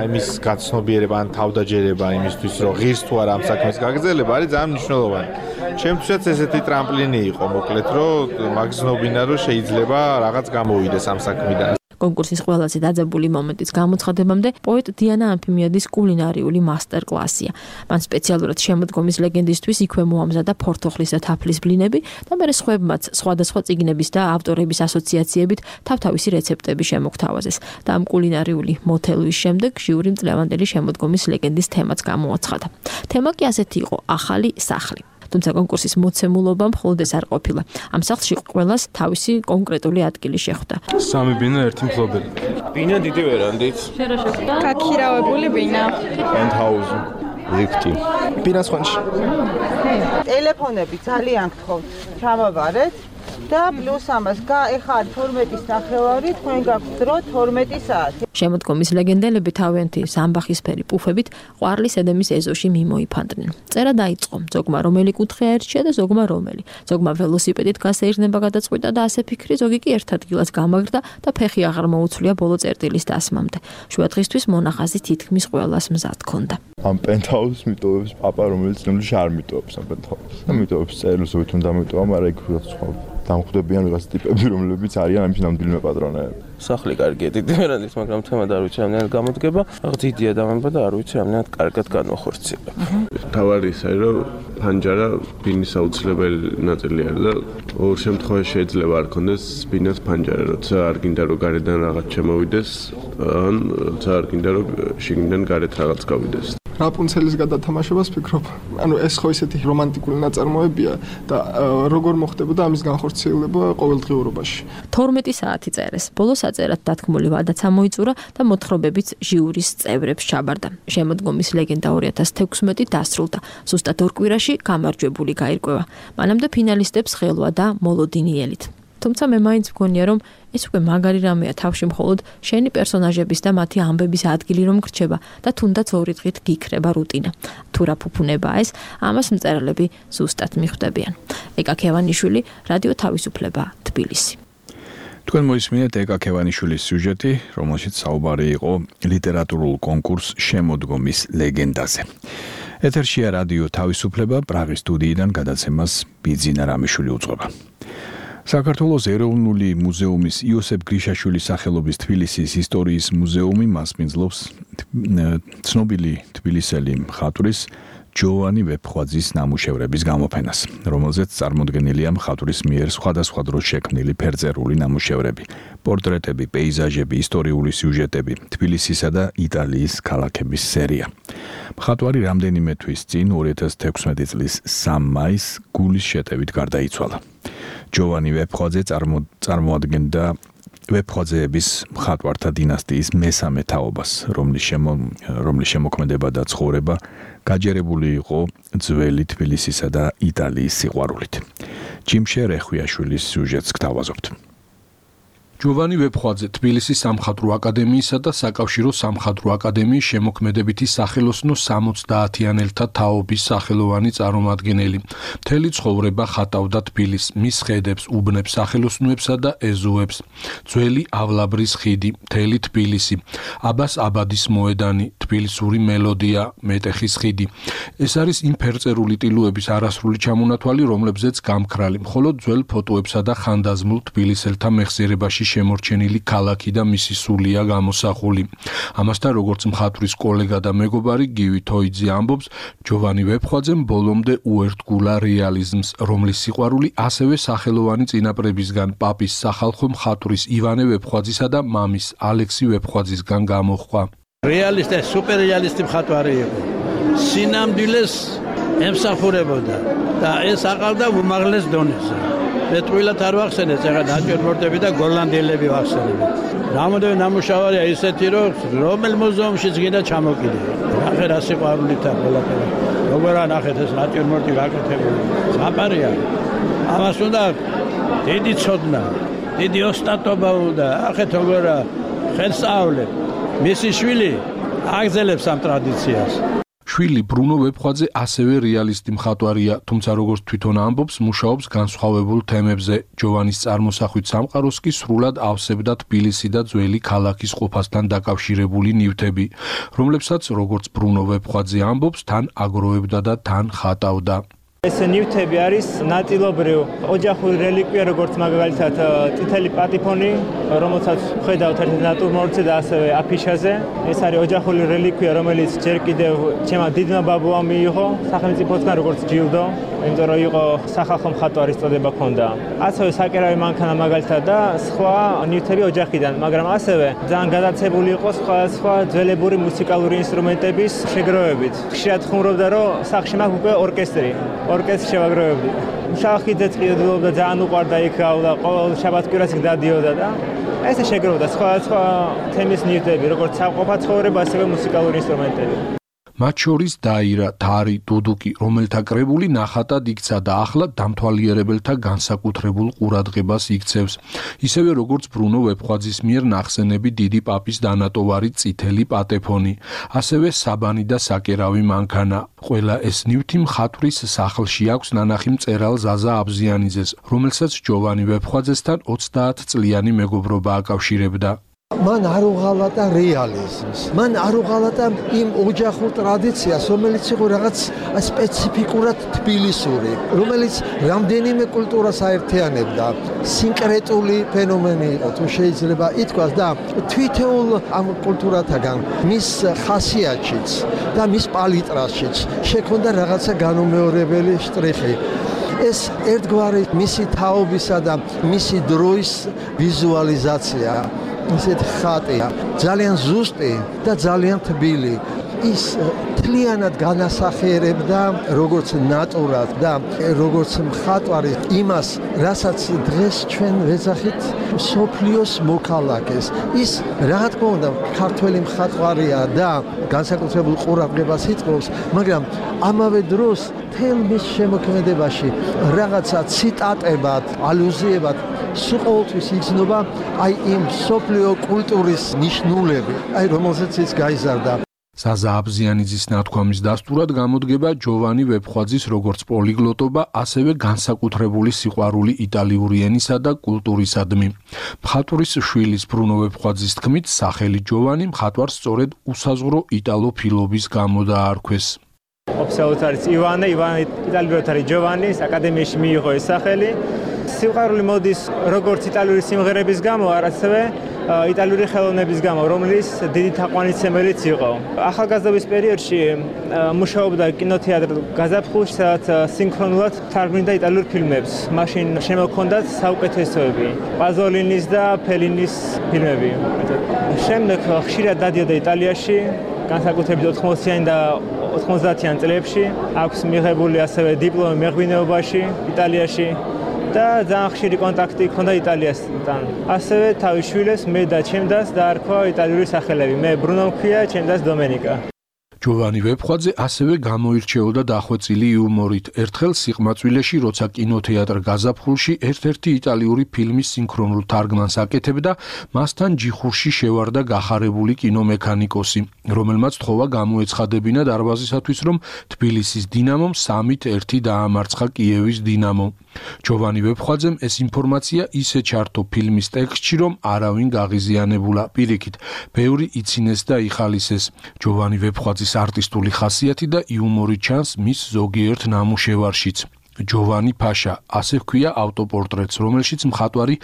აი მის გაცნობიერება ან თავდაჯერება იმისთვის, რომ ღირს თუ არა ამ საქმის გაგრძელება, არის ძალიან მნიშვნელოვანი. ჩემთვისაც ესეთი ტრამპლინი იყო, მოკლედ, რომ მაგზნობინა, რომ შეიძლება რაღაც გამოვიდეს ამ საქმიდან. კონკურსის ყველაზე დაძაბული მომენტის გამოცხადებამდე პოეტ დიანა ამფიმიადის კულინარიული მასტერკლასია. მან სპეციალურად შემოდგომის ლეგენდისთვის იქვე მოამზადა ფორთოხლის და თაფლის ბლინები და მერე სხვებმაც სხვადასხვა წიგნების და ავტორების ასოციაციებით თავთავისი რეცეპტები შემოგთავაზეს. და ამ კულინარიული მოთელვის შემდეგ ჟიური მწლევანდელი შემოდგომის ლეგენდის თემაც გამოაცხადა. თემა კი ასეთი იყო: ახალი სახლი. თუმცა კონკურსის მოცემულობა მხოლოდ ეს არ ყოფილა. ამ სახლში ყველას თავისი კონკრეტული ადგილი შეხვდა. სამი ბინა, ერთი მფლობელი. ბინა დიდი ვერანდით. შენ რა შეხვდა? გაქირავებული ბინა. პენტჰაუზი. ლიფტი. ბინას ხონში. ტელეფონები ძალიან გთხოვთ, ჩამოვარეთ. და პლუს ამას ეხა თორმეტის ნახევარი, თქვენ გაქვთ დრო თორმეტი საათი. შემოდგომის ლეგენდელები თავიანთი სამბახისფერი პუფებით ყვარლის ედემის ეზოში მიმოიფანტნენ. წერა დაიწყო, ზოგმა რომელი კუთხე აერჩია და ზოგმა რომელი. ზოგმა ველოსიპედით გასეირნება გადაწყვიტა და ასე ფიქრი, ზოგი კი ერთ ადგილას გამაგრდა და ფეხი აღარ მოუცვლია ბოლო წერტილის დასმამდე. შუა დღისთვის მონახაზი თითქმის ყველას მზად ჰქონდა. ამ პენტჰაუსს მიტოვებს პაპა, რომელიც ნამდვილად არ მიტოვებს ამ პენტჰაუსს. და მიტოვებს წერილს, ვითომ დამიტოვა, მაგრამ ეგ სხვა დამხვდებიან ვიღაც ტიპები, რომლებიც არიან ამის ნამდვილმა პატრონები. სახლი კარგია, დიდი ვერანდის, მაგრამ თემა და არ ვიცი რამდენად გამოდგება. რაღაც დიდია დამება და არ ვიცი რამდენად კარგად განვახორციელებ. თავარი ისე რომ ფანჯარა ბინის აუცილებელი ნაწილი არის და ორ შემთხვევაში შეიძლება არ კონდეს ბინას ფანჯარა, როცა არ გინდა რომ გარედან რაღაც შემოვიდეს, ან როცა არ გინდა რომ შიგნიდან გარეთ რაღაც გავიდეს. რაპუნცელის გადათამაშებას ფიქრობ. ანუ ეს ხო ისეთი რომანტიკული ნაწარმოებია და როგორ მოხდებოდა ამის განხორციელება ყოველდღიურობაში. თორმეტი საათი წერეს. ბოლოს აწერად დათქმული ვადაც ამოიწურა და მოთხრობებიც ჟიურის წევრებს ჩაბარდა. შემოდგომის ლეგენდა ორი ათას თექვსმეტი დასრულდა. ზუსტად ორ კვირაში გამარჯვებული გაირკვევა. მანამდე ფინალისტებს ხელვა და მოლოდინიელით. თუმცა მე მაინც მგონია, რომ ეს უკვე მაგარი რამეა თავში მხოლოდ შენი პერსონაჟების და მათი ამბების ადგილი რომ გრჩება და თუნდაც ორი დღით გიქრება რუტინა. თუ რა ფუფუნებაა ეს, ამას მწერლები ზუსტად მიხვდებიან. ეკა ქევანიშვილი, რადიო თავისუფლება, თბილისი. თქვენ მოისმინეთ ეკა ქევანიშვილის სიუჟეტი, რომელშიც საუბარი იყო ლიტერატურულ კონკურს შემოდგომის ლეგენდაზე. ეთერშია რადიო თავისუფლება, პრაღის სტუდიიდან გადაცემას ბიძინა რამიშვილი უძღვება. საქართველოს ეროვნული მუზეუმის იოსებ გრიშაშვილის სახელობის თბილისის ისტორიის მუზეუმი მასპინძლობს ცნობილი თბილისელი მხატვრის ჯოვანი ვეფხვაძის ნამუშევრების გამოფენას, რომელზეც წარმოდგენილია მხატვრის მიერ სხვადასხვა დროს შექმნილი ფერწერული ნამუშევრები, პორტრეტები, პეიზაჟები, ისტორიული სიუჟეტები, თბილისისა და იტალიის ქალაქების სერია. მხატვარი რამდენიმე თვის წინ ორი ათას თექვსმეტი წლის სამი მაისს გულის შეტევით გარდაიცვალა. ჯოვანი ვეფხვაძე წარმოადგენდა ვეფხვაძეების მხატვართა დინასტიის მესამე თაობას, რომლის რომლის შემოქმედება და ცხოვრება გაჯერებული იყო ძველი თბილისისა და იტალიის სიყვარულით. ჯიმშე რეხვიაშვილის სიუჟეტს გთავაზობთ. ჯოვანი ვეფხვაძე თბილისის სამხატვრო აკადემიისა და საკავშირო სამხატვრო აკადემიის შემოქმედებითი სახელოსნო სამოცდაათიანელთა თაობის სახელოვანი წარმომადგენელი. მთელი ცხოვრება ხატავდა თბილისს, მის ხედებს, უბნებს, სახელოსნოებსა და ეზოებს. ძველი ავლაბრის ხიდი, მთელი თბილისი, აბას აბადის მოედანი, თბილისური მელოდია, მეტეხის ხიდი. ეს არის იმ ფერწერული ტილოების არასრული ჩამონათვალი, რომლებზეც გამქრალი, მხოლოდ ძველ ფოტოებსა და ხანდაზმულ თბილისელთა მეხსიერებაში შემორჩენილი ქალაქი და მისი სულია გამოსახული. ამასთან, როგორც მხატვრის კოლეგა და მეგობარი გივი თოიძე ამბობს, ჯოვანი ვეფხვაძემ ბოლომდე უერთგულა რეალიზმს, რომლის სიყვარული ასევე სახელოვანი წინაპრებისგან, პაპის სახალხო მხატვრის ივანე ვეფხვაძისა და მამის ალექსი ვეფხვაძისგან გამოჰყვა. რეალისტი, სუპერრეალისტი მხატვარი იყო. სინამდვილეს ემსახურებოდა და ეს აყავდა უმაღლეს დონეზე. მეტყვილად არ ვახსენეთ, ეხლა ნაჭიერ-მორტები და გოლლანდიელები ვახსენებთ. რამოდენიმე ნამუშევარია ისეთი, რომ რომელ მუზეუმშიც გინდა ჩამოკიდე. ნახე რა სიყვარულით აქვს ყველაფერი. როგორა ნახეთ ეს ნაჭიერ-მორტი გაკეთებული. ზაპარია. ამას უნდა დიდი ცოდნა, დიდი ოსტატობა უნდა. ახეთ როგორა ხელსწავლე. მისი შვილი აგზელებს ამ ტრადიციას. შვილი ბრუნო ვეფხვაძე ასევე რეალისტი მხატვარია, თუმცა როგორც თვითონ ამბობს, მუშაობს განსხვავებულ თემებზე. ჯოვანის წარმოსახვით სამყაროს კი სრულად ავსებდა თბილისი და ძველი ქალაქის ყოფასთან დაკავშირებული ნივთები, რომლებსაც როგორც ბრუნო ვეფხვაძე ამბობს, თან აგროვებდა და თან ხატავდა. ეს ნივთები არის ნაწილობრივ ოჯახური რელიკვია, როგორც მაგალითად წითელი პატიფონი, რომელსაც ხედავთ ერთ ნატურმორტზე და ასევე აფიშაზე. ეს არის ოჯახური რელიკვია, რომელიც ჯერ კიდევ ჩემმა დიდმა ბაბუამ მიიღო სახელმწიფოსგან როგორც ჯილდო, იმიტომ რომ იყო სახალხო მხატვარის წოდება ჰქონდა. ასევე საკერავი მანქანა მაგალითად და სხვა ნივთები ოჯახიდან, მაგრამ ასევე ძალიან გადაცებული იყო სხვა სხვა ძველებური მუსიკალური ინსტრუმენტების შეგროვებით. ხშირად ხუმრობდა, რომ სახლში მაქვს უკვე ორკესტრი. ორკესტრი შევაგროვებდი. შახიძეც ყიდულობდა, ძალიან უყვარდა იქ გავლა, ყოველ შაბათ-კვირას იქ დადიოდა და ესე შეგროვდა სხვა-სხვა თემის ნივთები, როგორც საყოფა ცხოვრება, ასევე მუსიკალური ინსტრუმენტები. მათ შორის დაირა, თარი, დუდუკი, რომელთა კრებული ნახატად იქცა და ახლა დამთვალიერებელთა განსაკუთრებულ ყურადღებას იქცევს. ისევე როგორც ბრუნო ვეფხვაძის მიერ ნახსენები დიდი პაპის დანატოვარი წითელი პატეფონი, ასევე საბანი და საკერავი მანქანა. ყველა ეს ნივთი მხატვრის სახლში აქვს ნანახი მწერალ ზაზა აბზიანიძეს, რომელსაც ჯოვანი ვეფხვაძესთან ოცდაათწლიანი მეგობრობა აკავშირებდა. მან არ უღალატა რეალიზმს, მან არ უღალატა იმ ოჯახურ ტრადიციას, რომელიც იყო რაღაც სპეციფიკურად თბილისური, რომელიც რამდენიმე კულტურას აერთიანებდა. სინკრეტული ფენომენი იყო, თუ შეიძლება ითქვას და თვითეულ ამ კულტურათაგან მის ხასიათშიც და მის პალიტრაშიც შექონდა რაღაცა განუმეორებელი შტრიხი. ეს ერთგვარი მისი თაობისა და მისი დროის ვიზუალიზაცია. ისეთ ხატია, ძალიან ზუსტი და ძალიან თბილი. ის თლიანად განასახიერებდა როგორც ნატურად და როგორც მხატვარი იმას, რასაც დღეს ჩვენ ვეძახით სოფლიოს მოქალაქეს. ის რა თქმა უნდა ქართველი მხატვარია და განსაკუთრებულ ყურადღებას იწვევს, მაგრამ ამავე დროს თელ მის შემოქმედებაში რაღაცა ციტატებად, ალუზიებად სულ ყოველთვის იგრძნობა აი იმ სოფლიო კულტურის ნიშნულები, აი რომელზეც ის გაიზარდა. ზაზა აბზიანიძის ნათქვამის დასტურად გამოდგება ჯოვანი ვეფხვაძის როგორც პოლიგლოტობა, ასევე განსაკუთრებული სიყვარული იტალიური ენისა და კულტურისადმი. მხატვრის შვილის ბრუნო ვეფხვაძის თქმით, სახელი ჯოვანი მხატვარს სწორედ უსაზღვრო იტალოფილობის გამო დაარქვეს. ოფიციალურად არის ივანე, ივანე იტალიურად არის ჯოვანის, აკადემიაში მიიღო ეს სახელი. სიყვარული მოდის როგორც იტალიური სიმღერების გამო, ასევე იტალიური ხელოვნების გამო, რომლის დიდი თაყვანისმცემელიც იყო. ახალგაზრდობის პერიოდში მუშაობდა კინოთეატრ გაზაფხულში, სადაც სინქრონულად თარგმნიდა იტალიურ ფილმებს. მაშინ შემოჰქონდათ საუკეთესოები, პაზოლინის და ფელინის ფილმები. შემდეგ ხშირად დადიოდა იტალიაში, განსაკუთრებით ოთხმოციანი და ოთხმოცდაათიან წლებში. აქვს მიღებული ასევე დიპლომი მეღვინეობაში იტალიაში. და ძალიან ხშირი კონტაქტი ჰქონდა იტალიასთან. ასევე თავის შვილებს მე და ჩემ დას დაარქვა იტალიური სახელები. მე ბრუნო მქვია, ჩემ დას დომენიკა. ჯოვანი ვეფხვაძე ასევე გამოირჩეოდა დახვეწილი იუმორით. ერთხელ სიყმაწვილეში, როცა კინოთეატრ გაზაფხულში ერთ-ერთი იტალიური ფილმის სინქრონულ თარგმანს აკეთებდა, მასთან ჯიხურში შევარდა გახარებული კინომექანიკოსი, რომელმაც თხოვა გამოეცხადებინა დარბაზისათვის, რომ თბილისის დინამომ სამით ერთი დაამარცხა კიევის დინამო. ჯოვანი ვეფხვაძემ ეს ინფორმაცია ისე ჩართო ფილმის ტექსტში, რომ არავინ გაღიზიანებულა. პირიქით, ბევრი იცინეს და იხალისეს. ჯოვანი ვეფხვაძის არტისტული ხასიათი და იუმორი ჩანს მის ზოგიერთ ნამუშევარშიც. ჯოვანი ფაშა, ასე ჰქვია ავტოპორტრეტს, რომელშიც მხატვარი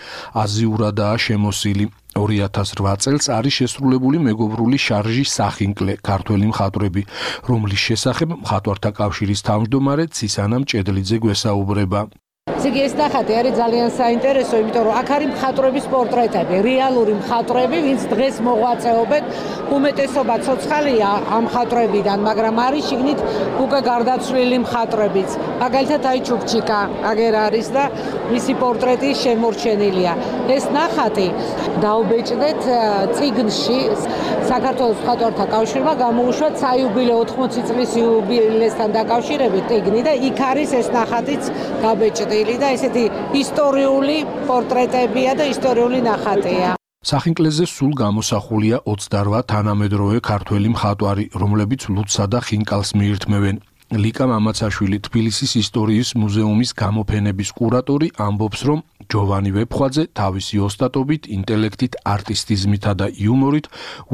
აზიურადაა შემოსილი. ორი ათას რვა წელს არის შესრულებული მეგობრული შარჟი სახინკლე, ქართველი მხატვრები, რომლის შესახებ მხატვართა კავშირის თავმჯდომარე ცისანა მჭედლიძე გვესაუბრება. ზიგი ეს ნახატი არის ძალიან საინტერესო, იმიტომ რომ აქ არის მხატვრების პორტრეტები, რეალური მხატვრები, ვინც დღეს მოღვაწეობენ. უმეტესობა ცოცხალია ამ მხატვრებიდან, მაგრამ არის შიგნით უკვე გარდაცვლილი მხატვრებიც. მაგალითად აი ჩუქჩიკა აგერ არის და მისი პორტრეტი შემორჩენილია. ეს ნახატი დაუბეჭდეთ წიგნში საქართველოს მხატვართა კავშირმა გამოუშვა საიუბილეო ოთხმოცი წლის იუბილესთან დაკავშირებით წიგნი და იქ არის ეს ნახატიც გაბეჭდილი. და ესეთი ისტორიული პორტრეტებია და ისტორიული ნახატია. სახინკლეზე სულ გამოსახულია ოცდარვა თანამედროვე ქართველი მხატვარი, რომლებიც ლუდსა და ხინკალს მიირთმევენ. ლიკა მამაცაშვილი, თბილისის ისტორიის მუზეუმის გამოფენების კურატორი, ამბობს, რომ ჯოვანი ვეფხვაძე თავისი ოსტატობით, ინტელექტით, არტისტიზმითა და იუმორით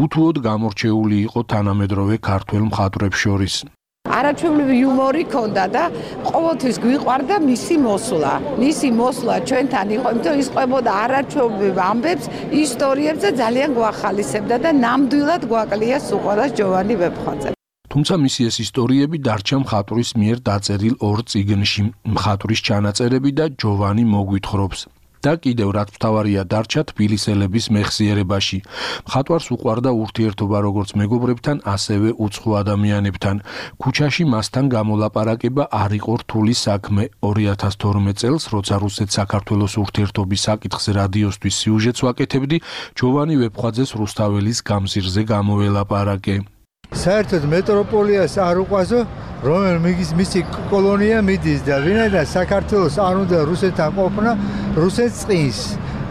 უთუოდ გამორჩეული იყო თანამედროვე ქართველ მხატვრებს შორის. არაჩვეულებრივი იუმორი ჰქონდა და ყოველთვის გვიყვარდა მისი მოსვლა. მისი მოსვლა ჩვენთან იყო, იმიტომ ის ყვებოდა არაჩვეულებრივ ამბებს, ისტორიებს და ძალიან გვახალისებდა და ნამდვილად გვაკლია სუყურას ჯოვანი ვეფხვაძე. თუმცა მისი ეს ისტორიები დარჩა მხატვრის მიერ დაწერილ ორ წიგნში, მხატვრის ჩანაწერები და ჯოვანი მოგვითხრობს. და კიდევ რაც მთავარია დარჩა თბილისელების მეხსიერებაში. მხატვარს უყვარდა ურთიერთობა როგორც მეგობრებთან, ასევე უცხო ადამიანებთან. ქუჩაში მასთან გამოლაპარაკება არ იყო რთული საქმე. ორი ათას თორმეტ წელს, როცა რუსეთ-საქართველოს ურთიერთობის საკითხზე რადიოსთვის სიუჟეტს ვაკეთებდი, ჯოვანი ვეფხვაძეს რუსთაველის გამზირზე გამოველაპარაკე. საერთოდ მეტროპოლიას არ უყვაზო, რომელიც მისი კოლონია მიდის და ვინაიდან საქართველოს არ უნდა რუსეთთან ყოფნა, რუსეთს წინს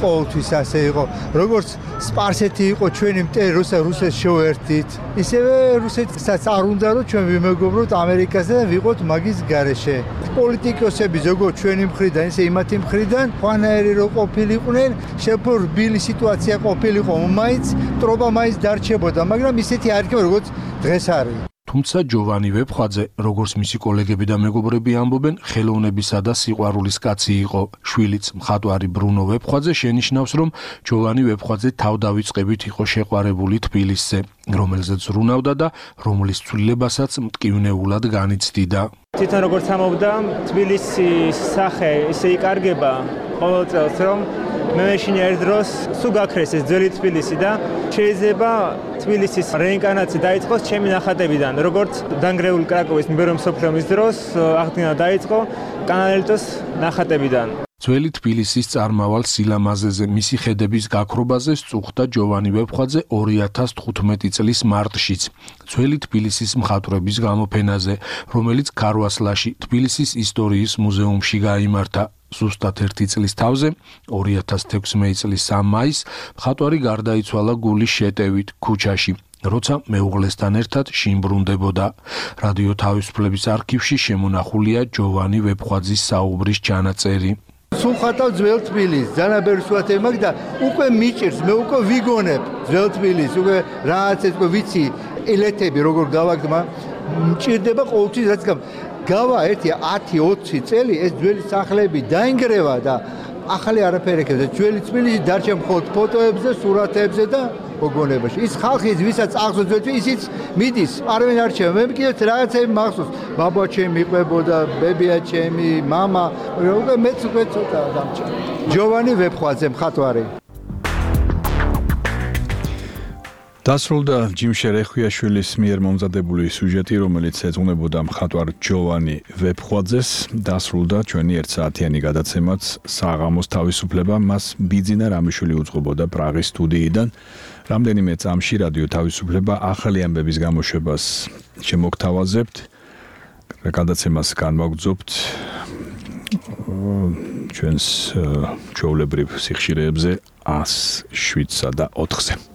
ყოველთვის ასე იყო. როგორც სპარსეთი იყო ჩვენი მტერი, როცა რუსეთს შევერთით, ისევე რუსეთსაც არ უნდა რომ ჩვენ ვიმეგობროთ ამერიკასთან და ვიყოთ მაგის გარეშე. პოლიტიკოსები ზოგადად ჩვენი მხრიდან, ისე იმათი მხრიდან, ხანაერი რო ყოფილიყვნენ, შეფორ რბილი სიტუაცია ყოფილიყო, მაინც ტრობა მაინც დარჩებოდა, მაგრამ ისეთი არ იქნება როგორც დღეს არის. თუმცა ჯოვანი ვეფხვაძე, როგორც მისი კოლეგები და მეგობრები ამბობენ, ხელოვნებისა და სიყვარულის კაცი იყო. შვილიც მხატვარი ბრუნო ვეფხვაძე შენიშნავს, რომ ჯოვანი ვეფხვაძე თავდავიწყებით იყო შეყვარებული თბილისზე, რომელზეც ზრუნავდა და რომლის ცვლილებასაც მტკივნეულად განიცდიდა. თვითონ როგორც ამბობდა, თბილისის სახე ისე იკარგება ყოველ წელს, რომ მე მეშინ ერთ დროს სულ გაქრეს ეს ძველი თბილისი და შეიძლება თბილისის რეინკარნაცია დაიწყოს ჩემი ნახატებიდან, როგორც დანგრეული კრაკოვის მებრძოლ მსოფლიო ომის დროს აღდგენა დაიწყო კანალელტოს ნახატებიდან. ძველი თბილისის წარმავალ სილამაზეზე, მისი ხედების გაქრობაზე სწუხდა ჯოვანი ვეფხვაძე ორი ათას თხუთმეტი წლის მარტშიც, ძველი თბილისის მხატვრების გამოფენაზე, რომელიც ქარვასლაში, თბილისის ისტორიის მუზეუმში გაიმართა. ზუსტად ერთი წლის თავზე, ორი ათას თექვსმეტი წლის სამი მაისს, მხატვარი გარდაიცვალა გულის შეტევით ქუჩაში, როცა მეუღლესთან ერთად შინბრუნდებოდა. რადიო თავისუფლების არქივში შემონახულია ჯოვანი ვეფხვაძის საუბრის ჩანაწერი. სულ ხატავ ძველ თბილისს, ძალიან ბევრი სურათები მაქვს და უკვე მიჭირს, მე უკვე ვიგონებ ძველ თბილისს, უკვე რაღაც ეს უკვე ვიცი ელეთები როგორ გავაგდმა, მჭირდება ყოველთვის რაც გავა ერთი ათი ოცი წელი ეს ძველი სახლები დაინგრევა და ახალი არაფერი ეკეთებს. ძველი თბილისი დარჩა მხოლოდ ფოტოებზე, სურათებზე და მოგონებაში. ის ხალხი, ვისაც აღზევს ძველი, ისიც მიდის, არავინ არ რჩება. მე კიდევ რაღაცები მახსოვს. ბაბა ჩემი იყვებოდა, ბებია ჩემი, მამა, უკვე მეც უკვე ცოტა დამჭა. ჯოვანი ვეფხვაძე, მხატვარი. დასრულდა ჯიმ შერეხვიაშვილის მიერ მომზადებული სიუჟეტი, რომელიც ეძღვნებოდა მხატვარ ჯოვანი ვეფხვაძეს. დასრულდა ჩვენი ერთ საათიანი გადაცემაც საღამოს თავისუფლება. მას ბიძინა რამიშვილი უძღვებოდა პრაღის სტუდიიდან. რამდენიმე წამში რადიო თავისუფლება ახალი ამბების გამოშვებას შემოგთავაზებთ. გადაცემას განვაგრძობთ ჩვენს ჩვეულებრივ სიხშირეებზე ას შვიდსა და ოთხზე.